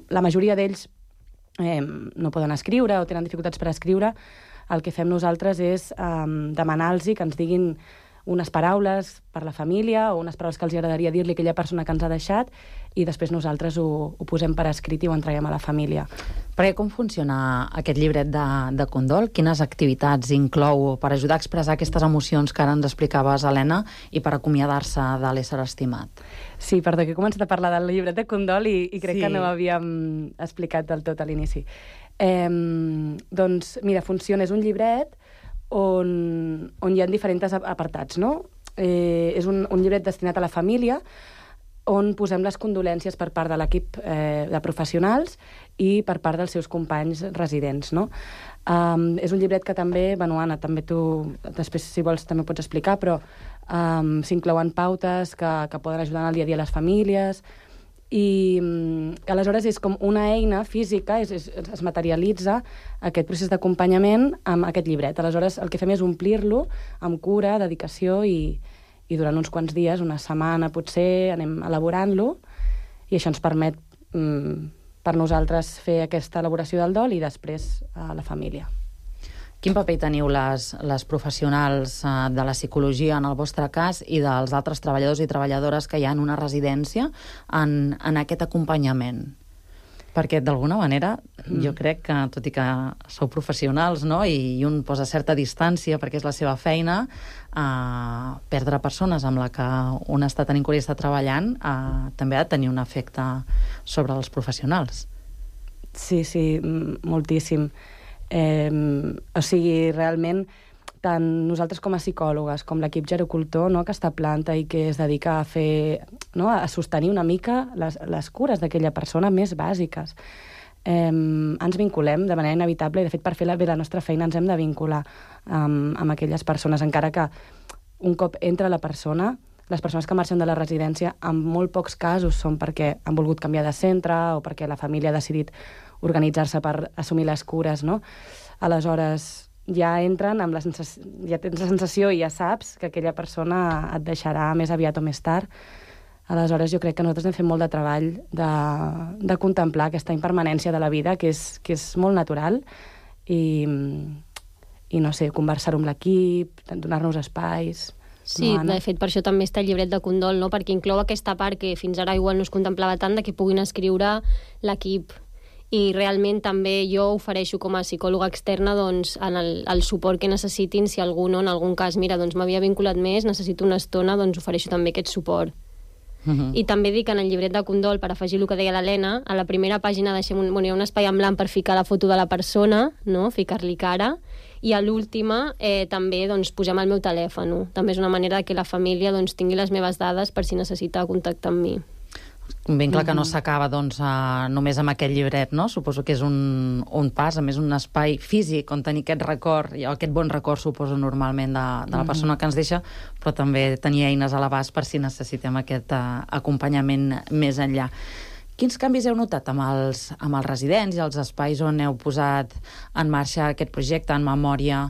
La majoria d'ells no poden escriure o tenen dificultats per escriure. El que fem nosaltres és demanar-los que ens diguin unes paraules per la família o unes paraules que els agradaria dir-li a aquella persona que ens ha deixat i després nosaltres ho posem per escrit i ho entreguem a la família. Perquè com funciona aquest llibret de condol? Quines activitats inclou per ajudar a expressar aquestes emocions que ara ens explicaves, Helena, i per acomiadar-se de l'ésser estimat? Sí, perdó, que he començat a parlar del llibret de condol i crec que no ho havíem explicat del tot a l'inici. Doncs, mira, funciona, és un llibret on hi ha diferents apartats, no? És un llibret destinat a la família on posem les condolències per part de l'equip de professionals i per part dels seus companys residents, no? És un llibret que també, Anna, també tu, després, si vols, també pots explicar, però s'inclouen pautes que poden ajudar en el dia a dia a les famílies, i aleshores és com una eina física, es materialitza aquest procés d'acompanyament amb aquest llibret. Aleshores el que fem és omplir-lo amb cura, dedicació i durant uns quants dies, una setmana potser, anem elaborant-lo i això ens permet per nosaltres fer aquesta elaboració del dol i després la família. Quin paper teniu les professionals de la psicologia en el vostre cas i dels altres treballadors i treballadores que hi ha en una residència en aquest acompanyament? Perquè, d'alguna manera, jo crec que, tot i que sou professionals, no?, i un posa certa distància perquè és la seva feina, perdre persones amb la que un està tenint cura i està treballant també ha de tenir un efecte sobre els professionals. Sí, moltíssim. O sigui, realment, tant nosaltres com a psicòlogues, com l'equip gerocultor, no?, que està a planta i que es dedica a fer, no?, a sostenir una mica les cures d'aquella persona més bàsiques. Ens vinculem de manera inevitable i, de fet, per fer bé la nostra feina ens hem de vincular amb aquelles persones, encara que un cop entra la persona, les persones que marxen de la residència en molt pocs casos són perquè han volgut canviar de centre o perquè la família ha decidit organitzar-se per assumir les cures, no? Aleshores, ja entren amb ja tens la sensació i ja saps que aquella persona et deixarà més aviat o més tard. Aleshores, jo crec que nosaltres hem fet molt de treball de contemplar aquesta impermanència de la vida, que és molt natural, i no sé, conversar-ho amb l'equip, donar-nos espais. Sí, de fet, per això també està el llibret de condol, no?, perquè inclou aquesta part que fins ara igual no es contemplava tant, de que puguin escriure l'equip. I realment també jo ofereixo com a psicòloga externa doncs, en el suport que necessitin, si algú no, en algun cas, mira, doncs m'havia vinculat més, necessito una estona, doncs ofereixo també aquest suport. I també dic en el llibret de condol, per afegir el que deia l'Helena, a la primera pàgina deixem hi ha un espai en blanc per ficar la foto de la persona, no?, ficar-li cara, i a l'última també doncs, posem el meu telèfon. També és una manera que la família doncs, tingui les meves dades per si necessita contactar amb mi. Ben clar que no s'acaba doncs, només amb aquest llibret, no? Suposo que és un pas, a més un espai físic on tenir aquest record, i aquest bon record suposo normalment de la persona que ens deixa, però també tenir eines a l'abast per si necessitem aquest acompanyament més enllà. Quins canvis heu notat amb els residents i els espais on heu posat en marxa aquest projecte en memòria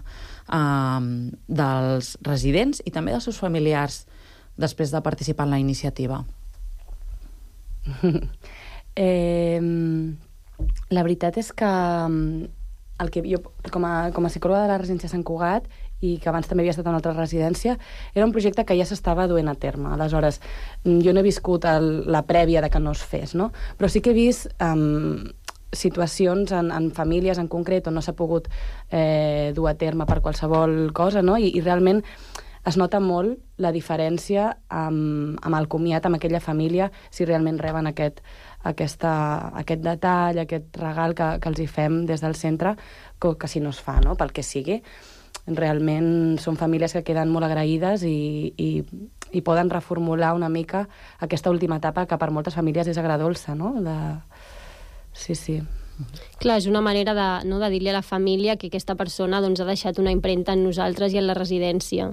dels residents i també dels seus familiars després de participar en la iniciativa? La veritat és que el que jo, com a psicòloga de la residència Sant Cugat, i que abans també havia estat en una altra residència, era un projecte que ja s'estava duent a terme. Aleshores, jo no he viscut la prèvia de que no es fes, no? Però sí que he vist situacions en famílies en concret on no s'ha pogut dur a terme per qualsevol cosa, no? I realment es nota molt la diferència amb el comiat amb aquella família, si realment reben aquest detall, aquest regal que els hi fem des del centre, que si no es fa, no?, pel que sigui. Realment són famílies que queden molt agraïdes i poden reformular una mica aquesta última etapa que per moltes famílies és agradolça, no? Sí. Clar, és una manera de dir-li a la família que aquesta persona doncs, ha deixat una empremta en nosaltres i en la residència.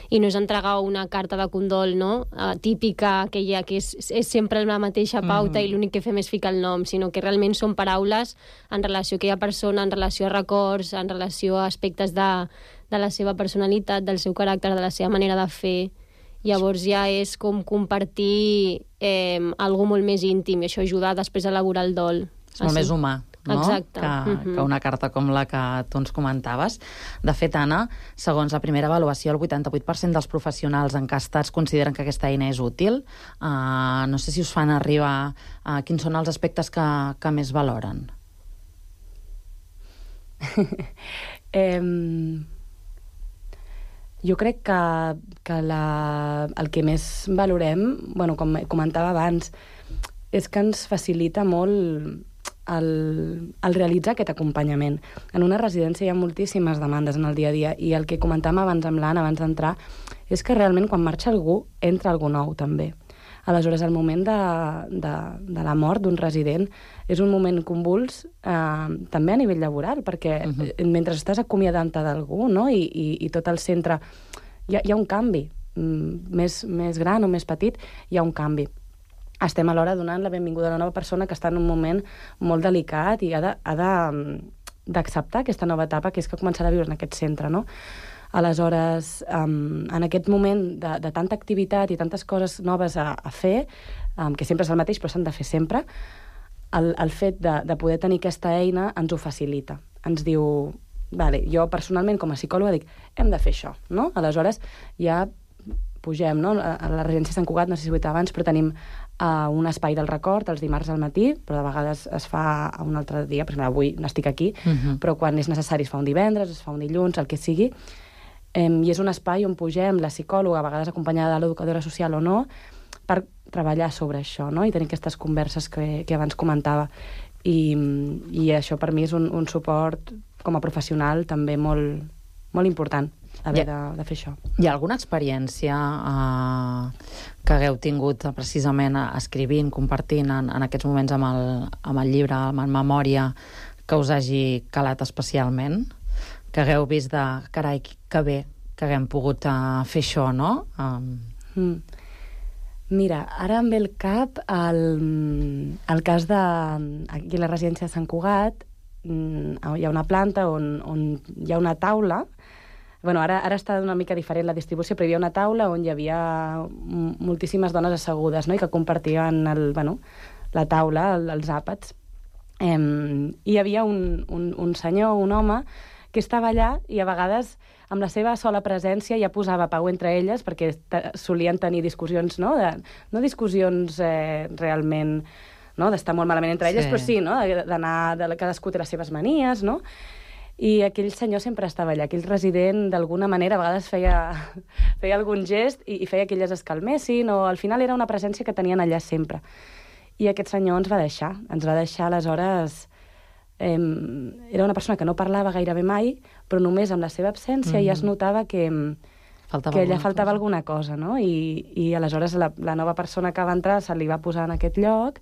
I no és entregar una carta de condol, no?, típica, que és sempre la mateixa pauta i l'únic que fem és ficar el nom, sinó que realment són paraules en relació a aquella persona, en relació a records, en relació a aspectes de la seva personalitat, del seu caràcter, de la seva manera de fer. Llavors ja és com compartir algo molt més íntim, i això ajuda després a elaborar el dol. És molt més humà, no? Exacte. Que una carta com la que tu ens comentaves. De fet, Anna, segons la primera avaluació, el 88% dels professionals encastats consideren que aquesta eina és útil. No sé si us fan arribar quins són els aspectes que més valoren. Jo crec que el que més valorem, com comentava abans, és que ens facilita molt el realitzar aquest acompanyament. En una residència hi ha moltíssimes demandes en el dia a dia, i el que comentàvem abans amb l'Anna, abans d'entrar, és que realment quan marxa algú, entra algú nou també. Aleshores, el moment de la mort d'un resident és un moment convuls també a nivell laboral, perquè mentre estàs acomiadant-te d'algú, no?, i tot el centre, hi ha un canvi, més gran o més petit, hi ha un canvi. Estem alhora donant la benvinguda a una nova persona que està en un moment molt delicat i ha d'acceptar aquesta nova etapa, que és que començarà a viure en aquest centre, no? Aleshores, en aquest moment de tanta activitat i tantes coses noves a fer, que sempre és el mateix, però s'han de fer sempre, el fet de poder tenir aquesta eina ens ho facilita. Ens diu, vale, jo personalment com a psicòloga dic, hem de fer això, no? Aleshores ja pugem, no? A la residència Sant Cugat, no sé si ho he dit abans, però tenim un espai del record els dimarts al matí, però de vegades es fa un altre dia, per exemple, avui no estic aquí, però quan és necessari es fa un divendres, es fa un dilluns, el que sigui, i és un espai on pugem la psicòloga, a vegades acompanyada de l'educadora social o no, per treballar sobre això, no? I tenir aquestes converses que abans comentava. I això per mi és un suport com a professional també molt, molt important, haver de fer això. Hi ha alguna experiència que hagueu tingut precisament escrivint, compartint en aquests moments amb el llibre, amb Memòria, que us hagi calat especialment? Que hagueu vist de, carai, que bé que haguem pogut fer això, no? Mira, ara em ve al cap el cas de aquí a la residència de Sant Cugat. Hi ha una planta on hi ha una taula. Bueno, ara està una mica diferent la distribució, però hi havia una taula on hi havia moltíssimes dones assegudes, no? I que compartien la taula, els àpats. I hi havia un senyor, un home, que estava allà i a vegades amb la seva sola presència ja posava pau entre elles, perquè solien tenir discussions, no? No discussions realment, no? D'estar molt malament entre elles, però sí, no? D'anar, cadascú té les seves manies, no? I aquell senyor sempre estava allà, aquell resident d'alguna manera a vegades feia algun gest i feia que elles es calmessin, o al final era una presència que tenien allà sempre. I aquest senyor ens va deixar aleshores. Era una persona que no parlava gairebé mai, però només amb la seva absència ja es notava que allà faltava alguna cosa, no? I aleshores la nova persona que va entrar se li va posar en aquest lloc,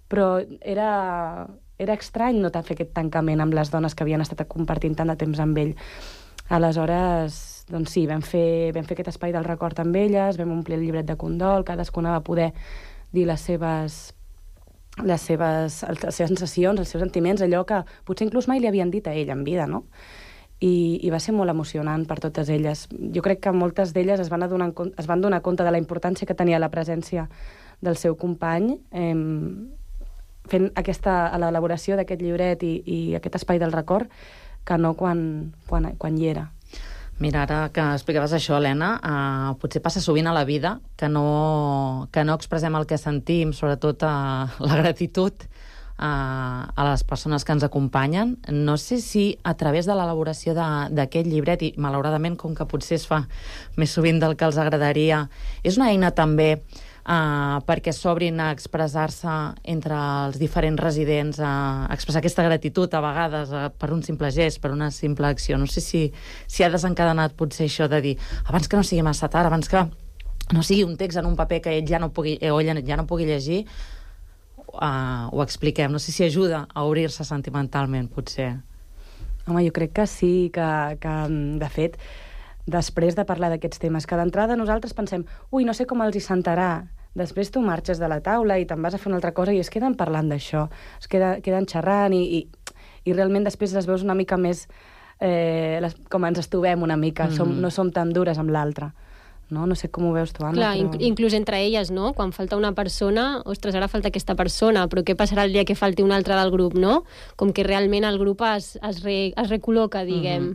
però era estrany no fer aquest tancament amb les dones que havien estat compartint tant de temps amb ell. Aleshores, doncs sí, vam fer aquest espai del record amb elles, vam omplir el llibret de condol, cadascuna va poder dir les seves sensacions, els seus sentiments, allò que potser inclús mai li havien dit a ell en vida, no? I va ser molt emocionant per totes elles. Jo crec que moltes d'elles es van donar compte de la importància que tenia la presència del seu company, fent l'elaboració d'aquest llibret i aquest espai del record, que no quan hi era. Mira, ara que explicaves això, Helena, potser passa sovint a la vida que no expressem el que sentim, sobretot la gratitud a les persones que ens acompanyen. No sé si a través de l'elaboració d'aquest llibret, i malauradament com que potser es fa més sovint del que els agradaria, és una eina també perquè s'obrin a expressar-se entre els diferents residents, a expressar aquesta gratitud a vegades per un simple gest, per una simple acció. No sé si ha desencadenat potser això de dir abans que no sigui massa tard, abans que no sigui un text en un paper que ell ja no pugui llegir, ho expliquem. No sé si ajuda a obrir-se sentimentalment, potser. Home, jo crec que sí, que de fet, després de parlar d'aquests temes, que d'entrada nosaltres pensem, no sé com els hi sentarà. Després tu marxes de la taula i te'n vas a fer una altra cosa i es queden parlant d'això, es queden xerrant i realment després les veus una mica més com ens estovem una mica, no som tan dures amb l'altre. No sé com ho veus tu, Anna. Clar, inclús entre elles, no? Quan falta una persona, ostres, ara falta aquesta persona, però què passarà el dia que falti una altra del grup, no? Com que realment el grup es recol·loca, diguem.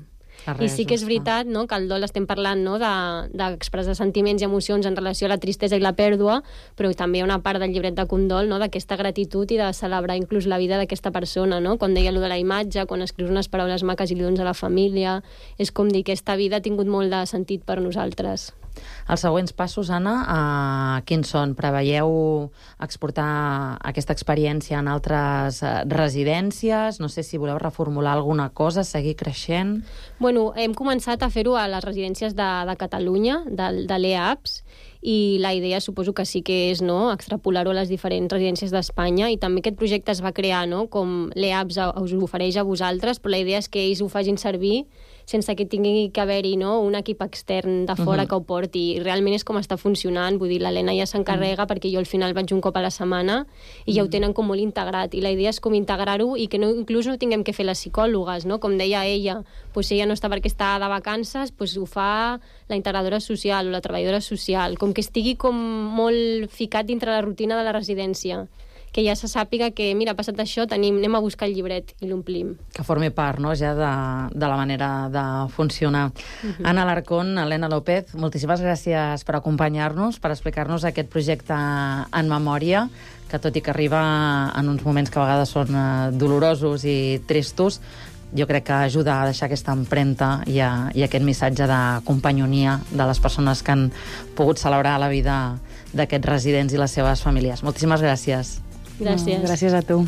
I sí que és veritat, no?, que al dol estem parlant, no?, d'expressar sentiments i emocions en relació a la tristesa i la pèrdua, però també hi ha una part del llibret de condol, no?, d'aquesta gratitud i de celebrar inclús la vida d'aquesta persona, no? Quan deia allò de la imatge, quan escrius unes paraules maques i li dones a la família, és com dir que aquesta vida ha tingut molt de sentit per nosaltres. Els següents passos, Anna, quins són? Preveieu exportar aquesta experiència en altres residències? No sé si voleu reformular alguna cosa, seguir creixent? Bueno, hem començat a fer-ho a les residències de Catalunya, de l'EAPS, i la idea suposo que sí que és, no?, extrapolar-ho a les diferents residències d'Espanya, i també aquest projecte es va crear, no?, com l'EAPS us ofereix a vosaltres, però la idea és que ells ho facin servir sense que tingui que haver-hi, no?, un equip extern de fora que ho porti. I realment és com està funcionant, vull dir, l'Helena ja s'encarrega perquè jo al final vaig un cop a la setmana i ja ho tenen com molt integrat, i la idea és com integrar-ho i que inclús no tinguem que fer les psicòlogues, no?, com deia ella, si ella no està perquè està de vacances, ho fa la integradora social o la treballadora social, com que estigui com molt ficat dintre la rutina de la residència, que ja se sàpiga que, mira, ha passat això, anem a buscar el llibret i l'omplim. Que formi part, no?, ja de la manera de funcionar. Anna Alarcón, Helena López, moltíssimes gràcies per acompanyar-nos, per explicar-nos aquest projecte En Memòria, que tot i que arriba en uns moments que a vegades són dolorosos i tristos, jo crec que ajuda a deixar aquesta empremta i aquest missatge de companyonia de les persones que han pogut celebrar la vida d'aquests residents i les seves famílies. Moltíssimes gràcies. Gràcies. Gràcies a tu.